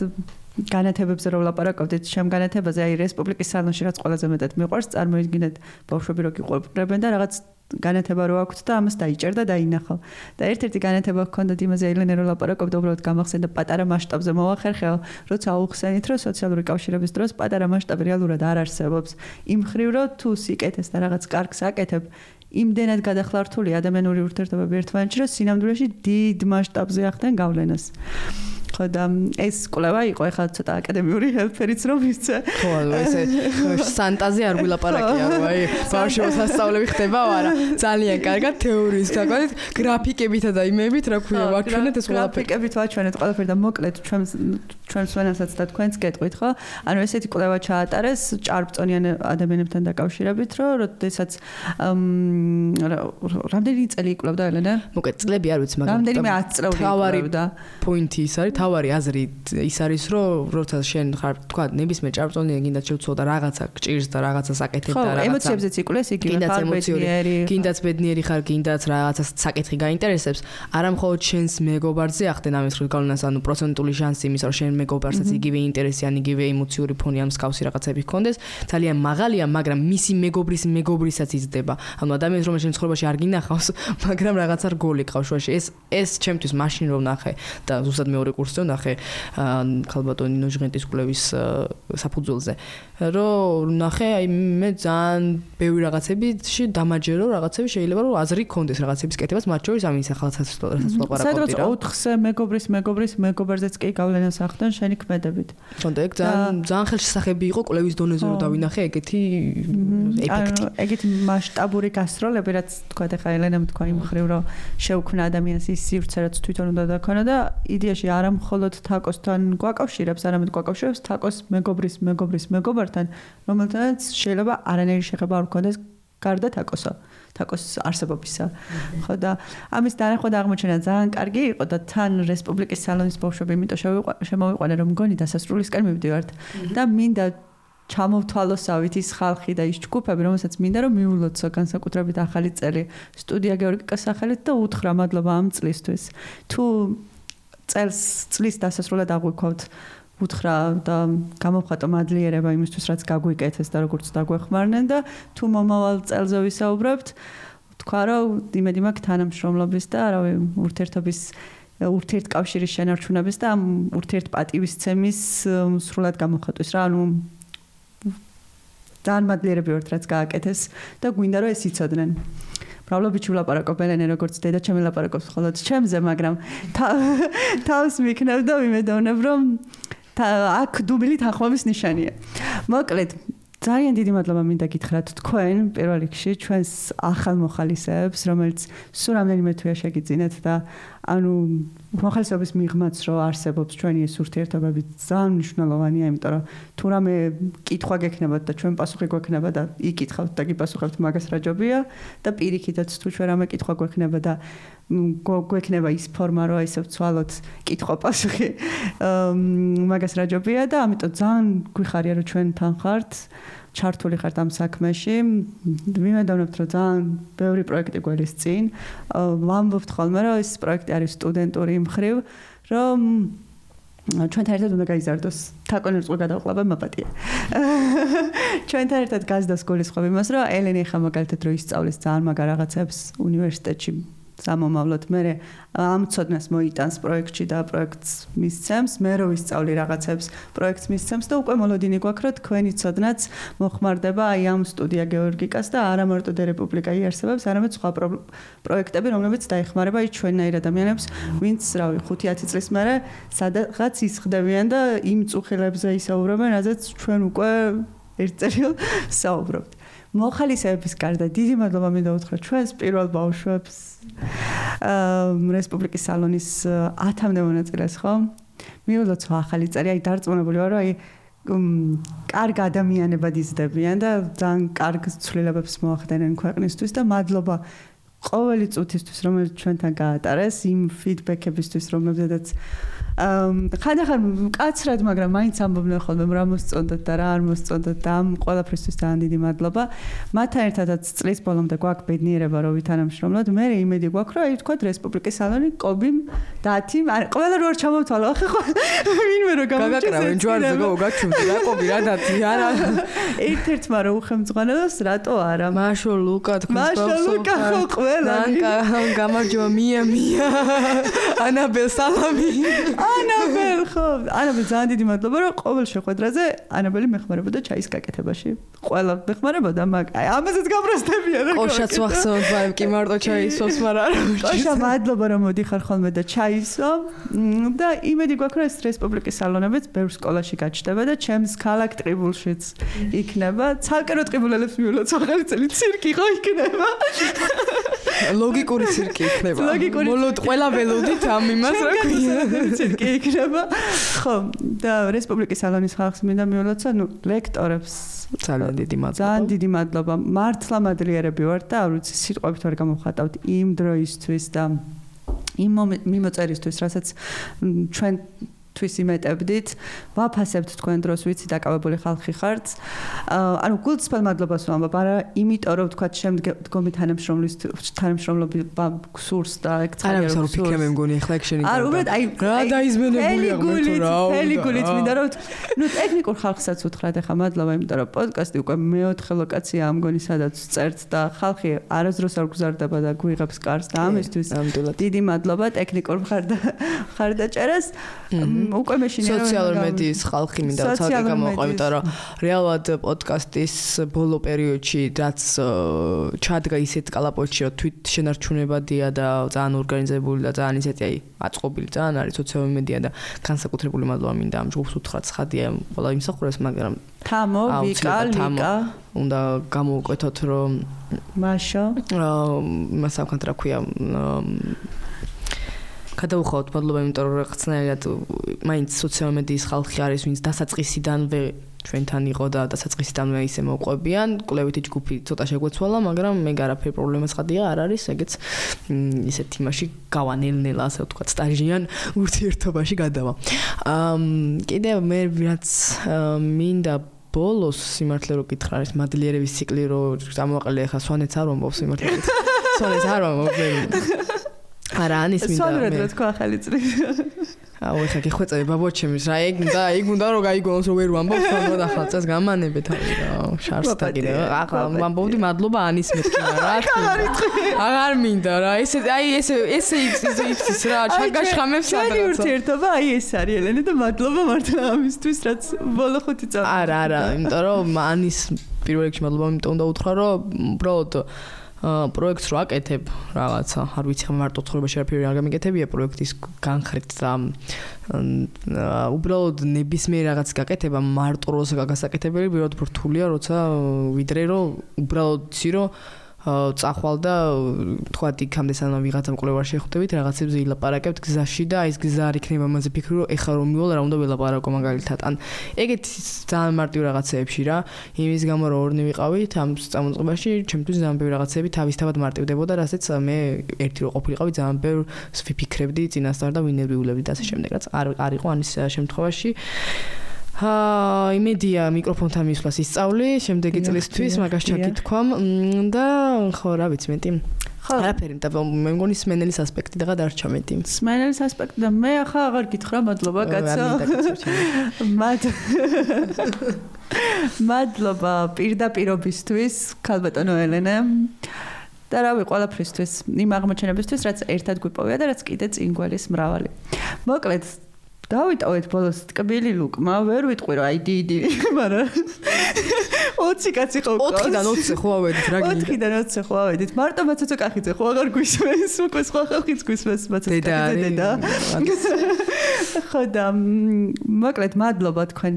განათებებზე რომ ვლაპარაკობდით შემ განათებაზე აი რესპუბლიკის სალონში რაც ყველაზე მეტად მიყვარს წარმოიდგინეთ ბავშვები რო გიყვებრებენ და რაღაც განათება რო აქვთ და ამას დაიჭერდა და ინახო და ერთ-ერთი განათება ჰქონდათ იმაზე ელენე რო ლაპარაკობდა უბრალოდ გამახსენდა პატარა მასშტაბზე მოვახერხეო როცა აუხსენით რომ სოციალური კავშირების დროს პატარა მასშტაბი რეალურად არ არსებობს იმ ხრივ რომ თუ სიკეთეს და რაღაც კარგს აკეთებ იმდენად გადახლართული ადამიანური ურთიერთობები ერთმანეთში რომ სინამდვილეში დიდ მასშტაბზე ახდენ გავლენას ხო და ეს კვლევა იყო ახლა ცოტა აკადემიური ჰელფერიც რომ ისე ხო ესე სანტაზი არ გვილაპარაკია რომ აი ბავშვი მოსასწავლები ხდება არა ძალიან კარგად თეორიის გაკვეთით გრაფიკებითა და იმებით რა ქვია ვაჩვენეთ ეს ყველაფერი გრაფიკებით ვაჩვენეთ ყველაფერი და მოკლედ ჩვენ ჩვენ სვენასაც და თქვენს გეტყვით ხო ანუ ესეთი კვლევა ჩაატარეს ჭარბწონიან ადამიანებთან დაკავშირებით რომ როდესაც რამდენი წელი იკვლევდა ელენე მოკლედ წლები არ ვიცი მაგრამ რამდენიმე ათი წლეული იკვლევდა პოინტი ის არის თავარი აზრი ის არის რომ როცა შენ ხარ თქვა ნებისმიერ ჭარბწონიან გინდა შევცვალო და რაღაცა გჭირს და რაღაცას აკეთებ და რაღაცა ემოციებზეც იკვლეს იგივე ხარ ბედნიერი გინდაც ბედნიერი ხარ გინდაც რაღაცას საკითხი გაინტერესებს არა მხოლოდ შენს მეგობარზე ახდენ ამის ხრივ გავლენას ანუ პროცენტული შანსი იმის რომ შენ მეგობარსაც იგივე ინტერესი ან იგივე ემოციური ფონი ან მსგავსი რაღაცები ჰქონდეს ძალიან მაღალია მაგრამ მისი მეგობრის მეგობრისაც იზრდება ანუ ადამიანს რომელიც შენ ცხოვრებაში არ გინახავს მაგრამ რაღაცა რგოლი ყავს შუაში ეს ეს ჩემთვის მაშინ რომ ნახე და ზუსტად მეორე კურსზე ნახე ქალბატონი ნინო ჟღენტის კვლევის საფუძველზე რომ ნახე აი მე ძალიან ბევრი რაღაცებიში დამაჯერო რაღაცები შეიძლება რომ აზრი გქონდეს რაღაცების კეთებას მათ შორის ამის ახალცაც რასაც ვაპარაკობდი რა ოთხზე მეგობრის მეგობრის მეგობარზეც კი გავლენას ახდენ შენი ქმედებით თქონდა ეგ ძალიან ძალიან ხელშესახები იყო კვლევის დონეზე რომ დავინახე ეგეთი ეფექტი ეგეთი მასშტაბური გასროლები რაც თქვა ახლა ელენამ თქვა იმ ხრივ რომ შეუქმნა ადამიანის ის სივრცე რაც თვითონ უნდა დაქონა და იდეაში არ მხოლოდ თაკოსთან გვაკავშირებს, არამედ გვაკავშირებს თაკოს მეგობრის მეგობრის მეგობართან, რომელთანაც შეიძლება არანაირი შეხება არ გქონდეს გარდა თაკოსა, თაკოს არსებობისა. ხო და ამის დანახვა და აღმოჩენა ძალიან კარგი იყო და თან რესპუბლიკის სალონის ბავშვები იმიტომ შემოვიყვანენ რომ მგონი დასასრულისკენ მივდივართ და მინდა ჩამოვთვალოსავით ის ხალხი და ის ჯგუფები, რომელსაც მინდა რომ მიულოცო განსაკუთრებით ახალი წელი სტუდია გეორგიკას სახელით და უთხრა მადლობა ამ წლისთვის. თუ წელს წლის დასასრულად აღვიქვათ უთხრა და გამოვხატო მადლიერება იმისთვის, რაც გაგვიკეთეს და როგორც დაგვეხმარნენ და თუ მომავალ წელზე ვისაუბრებთ, თქვა რომ იმედი მაქვს თანამშრომლობის და რავი ურთიერთობის ურთიერთკავშირის შენარჩუნების და ამ ურთიერთპატივისცემის სრულად გამოხატვის რა, ანუ ძალიან მადლიერები ვართ რაც გააკეთეს და გვინდა რომ ეს იცოდნენ. მრავლობითი ვლაპარაკობ ელენე როგორც დედა ჩემი ლაპარაკობს მხოლოდ ჩემზე, მაგრამ თავს მიქნევ და ვიმედოვნებ რომ აქ დუბილი თანხმობის ნიშანია. მოკლედ ძალიან დიდი მადლობა მინდა გითხრათ თქვენ პირველ რიგში ჩვენს ახალ მოხალისეებს, რომელიც სულ რამდენიმე თვეა შეგიძინეთ და ანუ მოხალისეობის მიღმაც რო არსებობს ჩვენი ეს ურთიერთობები ძალიან მნიშვნელოვანია, იმიტომ რომ თუ რამე კითხვა გექნებათ და ჩვენ პასუხი გვექნება და იკითხავთ და გიპასუხებთ, მაგას რა ჯობია და პირიქითაც თუ ჩვენ რამე კითხვა გვექნება და გვექნება ის ფორმა რო ისე ვცვალოთ კითხვა პასუხი მაგას რა ჯობია და ამიტომ ძალიან გვიხარია რომ ჩვენ თან ხართ ჩართული ხართ ამ საქმეში. ვიმედოვნებთ რომ ძალიან ბევრი პროექტი გველის წინ. ვამბობთ ხოლმე რომ ეს პროექტი არის სტუდენტური მხრივ, რომ ჩვენთან ერთად უნდა გაიზარდოს თაკონერს ყო გადავყლაბა მაპატია. ჩვენთან ერთად გაზდას გულისხმობ იმას, რომ ელენე ხა მაგალითად რო ისწავლის ძალიან მაგარ რაღაცებს უნივერსიტეტში სამომავლოდ მე ამ ცოდნას მოიტანს პროექტში და პროექტს მისცემს, მე რო ვისწავლი რაღაცებს პროექტს მისცემს და უკვე მოლოდინი გვაქვს რომ თქვენი ცოდნაც მოხმარდება აი ამ სტუდია გეორგიკას და არა მარტო დერეპუბლიკა იარსებებს, არამედ სხვა პროექტები, რომლებიც დაეხმარება ის ჩვენნაირ ადამიანებს, ვინც რავი ხუთი ათი წლის მერე სადღაც ისხდებიან და იმ წუხილებზე ისაუბრებენ, რაზეც ჩვენ უკვე ერთ წერილ საუბრობთ. მოხალისეების გარდა დიდი მადლობა მინდა უთხრა ჩვენს პირველ ბავშვებს რესპუბლიკის სალონის ათამდე მონაწილეს, ხო? მიულოცო ახალი წელი, აი დარწმუნებული ვარ, რომ აი კარგ ადამიანებად იზრდებიან და ძალიან კარგ ცვლილებებს მოახდენენ ქვეყნისთვის და მადლობა ყოველი წუთისთვის, რომელიც ჩვენთან გაატარეს, იმ ფიდბექებისთვის, რომლებზედაც ხანდახან მკაცრად, მაგრამ მაინც ამბობდნენ ხოლმე რა მოსწონდათ და რა არ მოსწონდათ და ამ ყველაფრისთვის ძალიან დიდი მადლობა. მათთან ერთადაც წლის ბოლომდე გვაქვს ბედნიერება, რომ ვითანამშრომლოთ. მე იმედი გვაქვს, რომ აი თქვათ რესპუბლიკის სალონი, კობიმ, დათიმ, ყველა რო არ ჩამოვთვალო, ახლა ხო ვინმე რო გამოვჭეს. გაგაკრავენ ჯვარზე გავგაჩუმდი რა კობი რა დათი არა. ერთ-ერთმა რო უხემძღვანელოს, რატო არა? მაშო ლუკა თქვენ მაშო ლუკა ხო ყველა. გამარჯობა მია მია. ანაბელ სალამი. ანაბელ ხო, ანაბელ ძალიან დიდი მადლობა, რომ ყოველ შეხვედრაზე ანაბელი მეხმარებოდა ჩაის გაკეთებაში. ყველა მეხმარებოდა, მაგ აი ამაზეც გამროსდებიან რა. ყოშაც ვახსოვთ, მაგრამ კი მარტო ჩაისვოს, მაგრამ არა. ყოშა მადლობა რომ მოდიხარ ხოლმე და ჩაისო და იმედი გვაქვს, რომ ეს რესპუბლიკის სალონებიც ბევრ სკოლაში გაჩნდება და ჩემს ქალაქ ტყიბულშიც იქნება. ცალკე რო ტყიბულელებს მიულოცო ახალი წელი ცირკი ხო იქნება. ლოგიკური ცირკი იქნება. ლოგიკური. მოლოდ ყველა ველოდით ამ იმას რა ქვია. ცირკი იქნება. ხო, და რესპუბლიკის სალონის ხალხს მინდა მიულოცა, ნუ ლექტორებს ძალიან დიდი მადლობა. ძალიან დიდი მადლობა. მართლა მადლიერები ვართ და არ ვიცი სიტყვებით ვერ გამოვხატავთ იმ დროისთვის და იმ მიმოწერისთვის, რასაც ჩვენ თვის იმეტებდით, ვაფასებთ თქვენ დროს, ვიცი დაკავებული ხალხი ხართ. ანუ გულწრფელ მადლობას ვამბობ, არა იმიტომ რომ თქვა შემდგომი თანამშრომლის თანამშრომლობა გსურს და ეგ ძალიან არა ვსაუბრობ ფიქრე მე მგონი ახლა ეგ შენი. არ უბრალოდ აი რა დაიზმენებულია მე რა. თელი გულით მინდა რომ ნუ ტექნიკურ ხალხსაც უთხრათ ახლა მადლობა, იმიტომ რომ პოდკასტი უკვე მეოთხე ლოკაცია ამ მგონი სადაც წერთ და ხალხი არასდროს არ გზარდება და გვიღებს კარს და ამისთვის დიდი მადლობა ტექნიკურ მხარდაჭერას. უკვე მეშინია სოციალურ მედიის ხალხი მინდა ცალკე გამოყვა, იმიტომ რომ რეალურად პოდკასტის ბოლო პერიოდში რაც ჩადგა ისეთ კალაპოტში, რომ თვით შენარჩუნებადია და ძალიან ორგანიზებული და ძალიან ისეთი აი აწყობილი ძალიან არის სოციალური მედია და განსაკუთრებული მადლობა მინდა ამ ჯგუფს უთხრათ, ცხადია ყველა იმსახურებს, მაგრამ თამო, ვიკა, ლიკა უნდა გამოვკვეთოთ რომ მაშო აა მასავქანთ რა ქვია გადავუხავთ მადლობა, იმიტომ რომ რაღაცნაირად მაინც სოციალურ მედიის ხალხი არის, ვინც დასაწყისიდანვე ჩვენთან იყო და დასაწყისიდანვე ისე მოყვებიან, კვლევითი ჯგუფი ცოტა შეგვეცვალა, მაგრამ მე არაფერი პრობლემა ცხადია არ არის, ეგეც ისეთ იმაში გავანელ-ნელა, ასე ვთქვათ, სტაჟიან ურთიერთობაში გადავა. აა კიდევ მე რაც მინდა ბოლოს სიმართლე რო გითხრა არის მადლიერების ციკლი რო ამოვაყალე ახლა სვანეთს არ ვამბობ სიმართლე სვანეთს არ ვამბობ არა ანის მინდა სვანურად რა თქვა ახალი წლის აუ ეხა გიხვეწები ბაბოჩემის რა ეგ და ეგ უნდა რომ გაიგონოს რომ ვერ ვამბობ სვანურად ახლა წელს გამანებე თავი რა შარს და კიდე ახლა ვამბობდი მადლობა ანის მეთქი რა აღარ მინდა რა ესე აი ესე ესე იცის რა ჩაგაშხამებს სადღაც ურთიერთობა აი ეს არის ელენე და მადლობა მართლა ამისთვის რაც ბოლო ხუთი წელი არა არა იმიტომ რომ ანის პირველ რიგში მადლობა იმიტომ უნდა უთხრა რომ უბრალოდ პროექტს რო აკეთებ რაღაცა არ ვიცი ხა მარტო ცხოვრებაში არაფერი არ გამიკეთებია პროექტის განხრით და უბრალოდ ნებისმიერ რაღაც გაკეთება მარტო როცა გასაკეთებელი პირველად რთულია როცა ვიდრე რომ უბრალოდ იცი რომ წახვალ და თქვა იქამდე სანამ ვიღაცა მკვლევარში ხვდებით რაღაცებზე ილაპარაკებთ გზაში და აი ეს გზა არ იქნება მასე ფიქრი რომ ეხა რომ მივალ რა უნდა ველაპარაკო მაგალითად ან ეგეთ ძალიან მარტივ რაღაცეებში რა იმის გამო რომ ორნი ვიყავით ამ წამოწყებაში ჩემთვის ძალიან ბევრი რაღაცები თავისთავად მარტივდებოდა რასაც მე ერთი რო ყოფილიყავი ძალიან ბევრს ვიფიქრებდი წინასწარ და ვინერვიულებდი და ასე შემდეგ რაც არ არ იყო ანის შემთხვევაში აა იმედია მიკროფონთან მისვლას ისწავლი შემდეგი წლისთვის მაგას ჩაკითქვამ და ხო რა ვიცი მეტი არაფერი და მე მგონი სმენელის ასპექტი და გადარჩა მეტი სმენელის ასპექტი და მე ახლა აღარ გითხრა მადლობა კაცო მად მადლობა პირდაპირობისთვის ქალბატონო ელენე და რავი ყველაფრისთვის იმ აღმოჩენებისთვის რაც ერთად გვიპოვია და რაც კიდე წინ გველის მრავალი მოკლედ დავიტოვეთ ბოლოს ტკბილი ლუკმა, ვერ ვიტყვი რომ აი დიდი, მაგრამ ოცი კაცი ხო ყავს. ოთხიდან ოცზე ხო ავედით რა გინდა? ოთხიდან ოცზე ხო ავედით. მარტო მაცოცოკახიძე ხო აღარ გვისმენს, უკვე სხვა ხალხიც გვისმენს მაცოცოკახიძე დედა. ხო და მოკლედ მადლობა თქვენ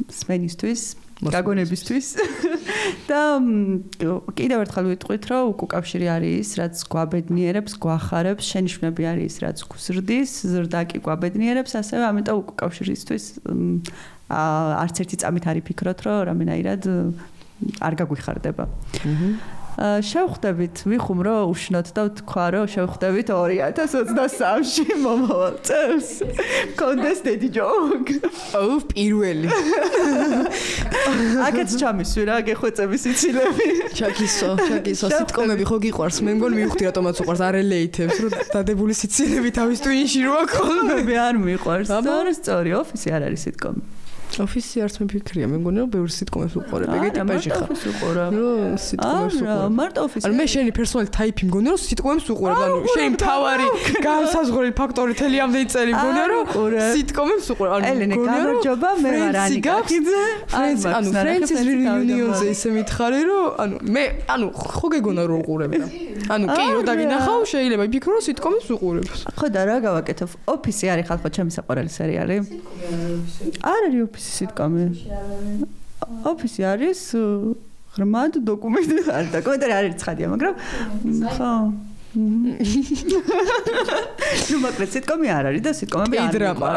სმენისთვის. გაგონებისთვის და კიდევ ერთხელ ვიტყვით რომ უკავშირი არის რაც გვაბედნიერებს, გვახარებს, შენიშვნები არის რაც გვზრდის, ზრდა კი გვაბედნიერებს, ასევე ამიტომ უკავშირისთვის არც ერთი წამით არ იფიქროთ რომ რამენაირად არ გაგვიხარდება. შევხვდებით, ვიხუმრო უშნოთ და ვთქვა რომ შევხვდებით ორი ათას ოცდასამში მომავალ წელს. კონდეს დედი ჯოკ. აუ პირველი. აკაც ჩამისვი რა გეხვეწების იცილები. ჩაკისო, ჩაკისო, სიტკომები ხო გიყვარს? მე მგონი მივხვდი რატომაც უყვარს არელეითებს, რომ დადებული სიცილები თავის ტვინში როა ხოლმე. მე არ მიყვარს. სწორი, სწორი, ოფისი არ არის სიტკომი. ოფისი არც მეფიქრია, მე მგონი რომ ბევრი სიტკომებს უყურებ. ეგ ტიპაჟი ხარ. ოფისი უყურებ. რომ სიტკომებს უყურებ. მარტო ოფისი. ანუ მე შენი პერსონალი ტაიპი მგონი რომ სიტკომებს უყურებ. ანუ შენი მთავარი განსაზღვრელი ფაქტორი თელი ამდენი წელი მგონი რომ სიტკომებს უყურებ. ანუ ელენე გამარჯობა, მე ვარ ანიკა ხიძე. ანუ ფრენცის რეუნიონზე ისე მითხარი რომ ანუ მე ანუ ხო გეგონა რომ უყურებ და. ანუ კი რომ დაგინახავ შეიძლება იფიქრო რომ სიტკომებს უყურებ. ხო და რა გავაკეთებ? ოფისი არის ხალხო ჩემი საყვარელი სერიალი. არ არის ოფისი სიტკომი. ოფისი არის ღრმად დოკუმენტი არის და კომენტარი არ არის ცხადია, მაგრამ ხო. ნუ მოკლედ სიტკომი არ არის და სიტკომები არ კეიდრამა.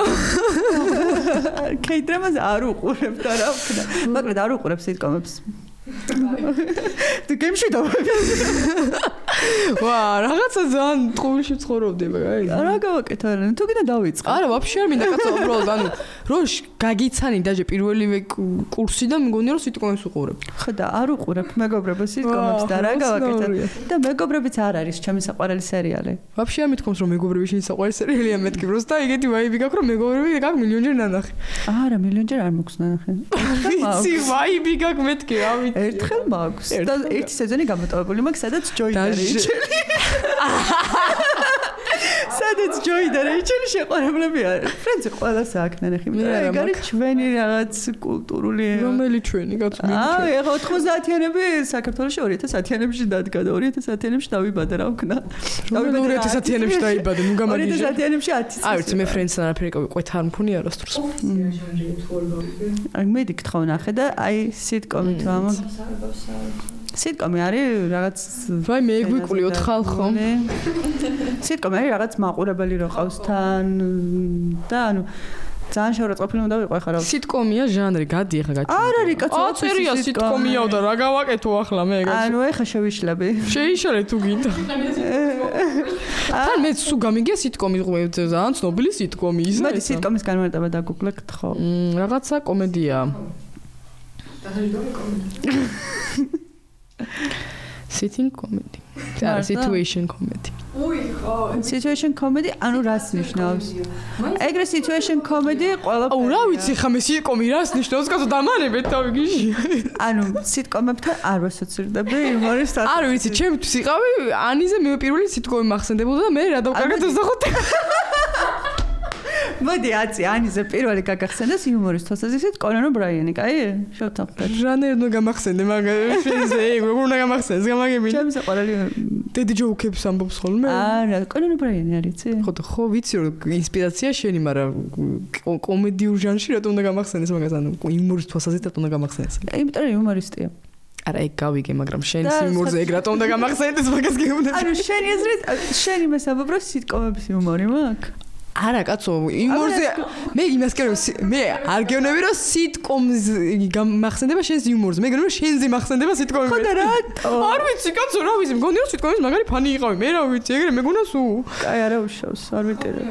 კეიდრამას არ უყურებ და რა ვქნა. მოკლედ არ უყურებ სიტკომებს. თუ გემში დავები. ვა, რაღაცა ძალიან ტყუილში ცხოვრობდი მაგარი. რა გავაკეთე რა? თუ კიდე დავიწყე. არა, ვაფშე არ მინდა კაცო, უბრალოდ ანუ რო გაგიცანი დაჟე პირველივე კურსი და მგონი რომ სიტკომებს უყურებ. ხო და არ უყურებ მეგობრებო სიტკომებს და რა გავაკეთე? და მეგობრებიც არ არის ჩემი საყვარელი სერიალი. ვაფშე არ მithkoms რომ მეგობრები შენი საყვარელი სერიალია მეთქი, просто ეგეთი ვაიბი გაქვს რომ მეგობრები გაქვს მილიონჯერ ნანახი. არა, მილიონჯერ არ მაქვს ნანახი. ვიცი, ვაიბი გაქვს მეთქი, რა ვიცი. ერთხელ მაქვს და ერთი სეზონი გამოტოვებული მაქვს, სადაც ჯოი და რეიჩელი. სადაც ჯოი და რეიჩელი შეყვარებლები არის. ფრენცი ყველას აქ ნანახი. ეგ არის ჩვენი რაღაც კულტურული. რომელი ჩვენი კაცო? აა, ეხლა ოთხმოცდაათიანები საქართველოში ორი ათას ათიანებში დადგა და ორი ათას ათიანებში დავიბადა რა ვქნა. დავიბადა ორი ათას ათიანებში დავიბადა, ნუ გამაგიჟე. ორი ათას ათიანებში ათი. აი, ვიცი, მე ფრენცთან არაფერი ყვეთა არ მქონია როსტროს. აი, მე დიქთხო ნახე და აი სიტკომი თუ ამა სიტკომი არის რაღაც ვაი მე გვიკვლიოთ ხალხო. სიტკომი არის რაღაც მაყურებელი რო ყავს თან და ანუ ძალიან შეურაცხყოფილი უნდა ვიყო ახლა რა. სიტკომია ჟანრი, გადი ახლა გაჩვენე. არ არის კაცო. აწერია სიტკომიაო და რა გავაკეთო ახლა მე. ანუ ახლა შევიშლები. შეიშალე თუ გინდა. თან მე სულ გამიგია სიტკომი ძალიან ცნობილი სიტკომი ისა. მოდი სიტკომის განმარტება დაგუგლებთ ხო? მ რაღაცა კომედია. Sitting comedy. და situation comedy. უი ხო. Situation comedy ანუ რას ნიშნავს? ეგრე situation comedy ყველა აუ რა ვიცი ხა მე სიტკომი რას ნიშნავს? კაცო დამანებეთ თავი გიში. ანუ სიტკომებთან არ ვასოცირდები იმორის თავს. არ ვიცი, ჩემთვის იყავი ანიზე მე პირველი სიტკომი მახსენდებოდა და მე რა დავკარგე ოცდახუთი. მოდი აცი ანიზე პირველი გაგახსენდეს იუმორის თვალსაზრისით კონან ობრაიანი, კაი? შევთანხმდეთ. ჟანერი უნდა გამახსენდე, მაგრამ შენზე როგორ უნდა გამახსენდეს, გამაგებინე. ჩემს ყველი დედი ჯოუკებს ამბობს ხოლმე. არა, კონან ობრაიანი არის, იცი? ხო, ხო, ვიცი რომ ინსპირაცია შენი, მაგრამ კომედიურ ჟანრში რატომ უნდა გამახსენდეს მაგას, ანუ იუმორის თვალსაზრისით რატომ უნდა გამახსენდეს? იმიტომ რომ იუმორისტია. არა, ეგ გავიგე, მაგრამ შენს იუმორზე ეგ რატომ უნდა გამახსენდეს მაგას გეუბნები. ანუ შენი აზრით, შენი მესამბობ რომ სიტკომების იუმორი მაქვს? არა კაცო, იუმორზე მე იმას კი მე არ გეუბნები რომ სიტკომს გამახსენდება შენს იუმორზე. მე გეუბნები რომ შენზე მახსენდება სიტკომი. ხო და რატო? არ ვიცი კაცო, რა ვიცი, მგონი რომ სიტკომის მაგარი ფანი იყავი. მე რა ვიცი, ეგრე მეგონა სულ. კაი, არა უშავს, არ ვიტირებ.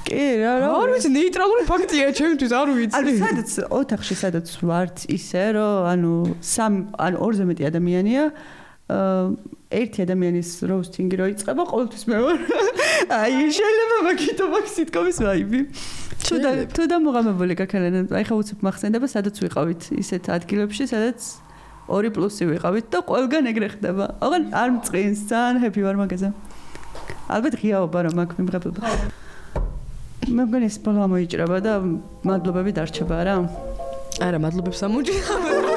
კი, რა რა. არ ვიცი, ნეიტრალური ფაქტია ჩემთვის, არ ვიცი. ანუ სადაც ოთახში სადაც ვართ ისე რომ ანუ სამ ანუ ორზე მეტი ადამიანია ერთი ადამიანის როუსტინგი რო იწყება, ყოველთვის მე ვარ. აი, შეიძლება მაგითო მაქვს სიტკომის ვაიბი. თუ და თუ და მოღამებული გაქალენა, აი ხა უცებ მახსენდება, სადაც ვიყავით ისეთ ადგილებში, სადაც ორი პლუსი ვიყავით და ყველგან ეგრე ხდება. ოღონ არ მწყინს, ძალიან ჰეპი ვარ მაგაზე. ალბათ ღიაობა რომ აქ მიმღებება. მე მგონი ეს ბოლო ამოიჭრება და მადლობები დარჩება რა. არა, მადლობებს ამოჭრება.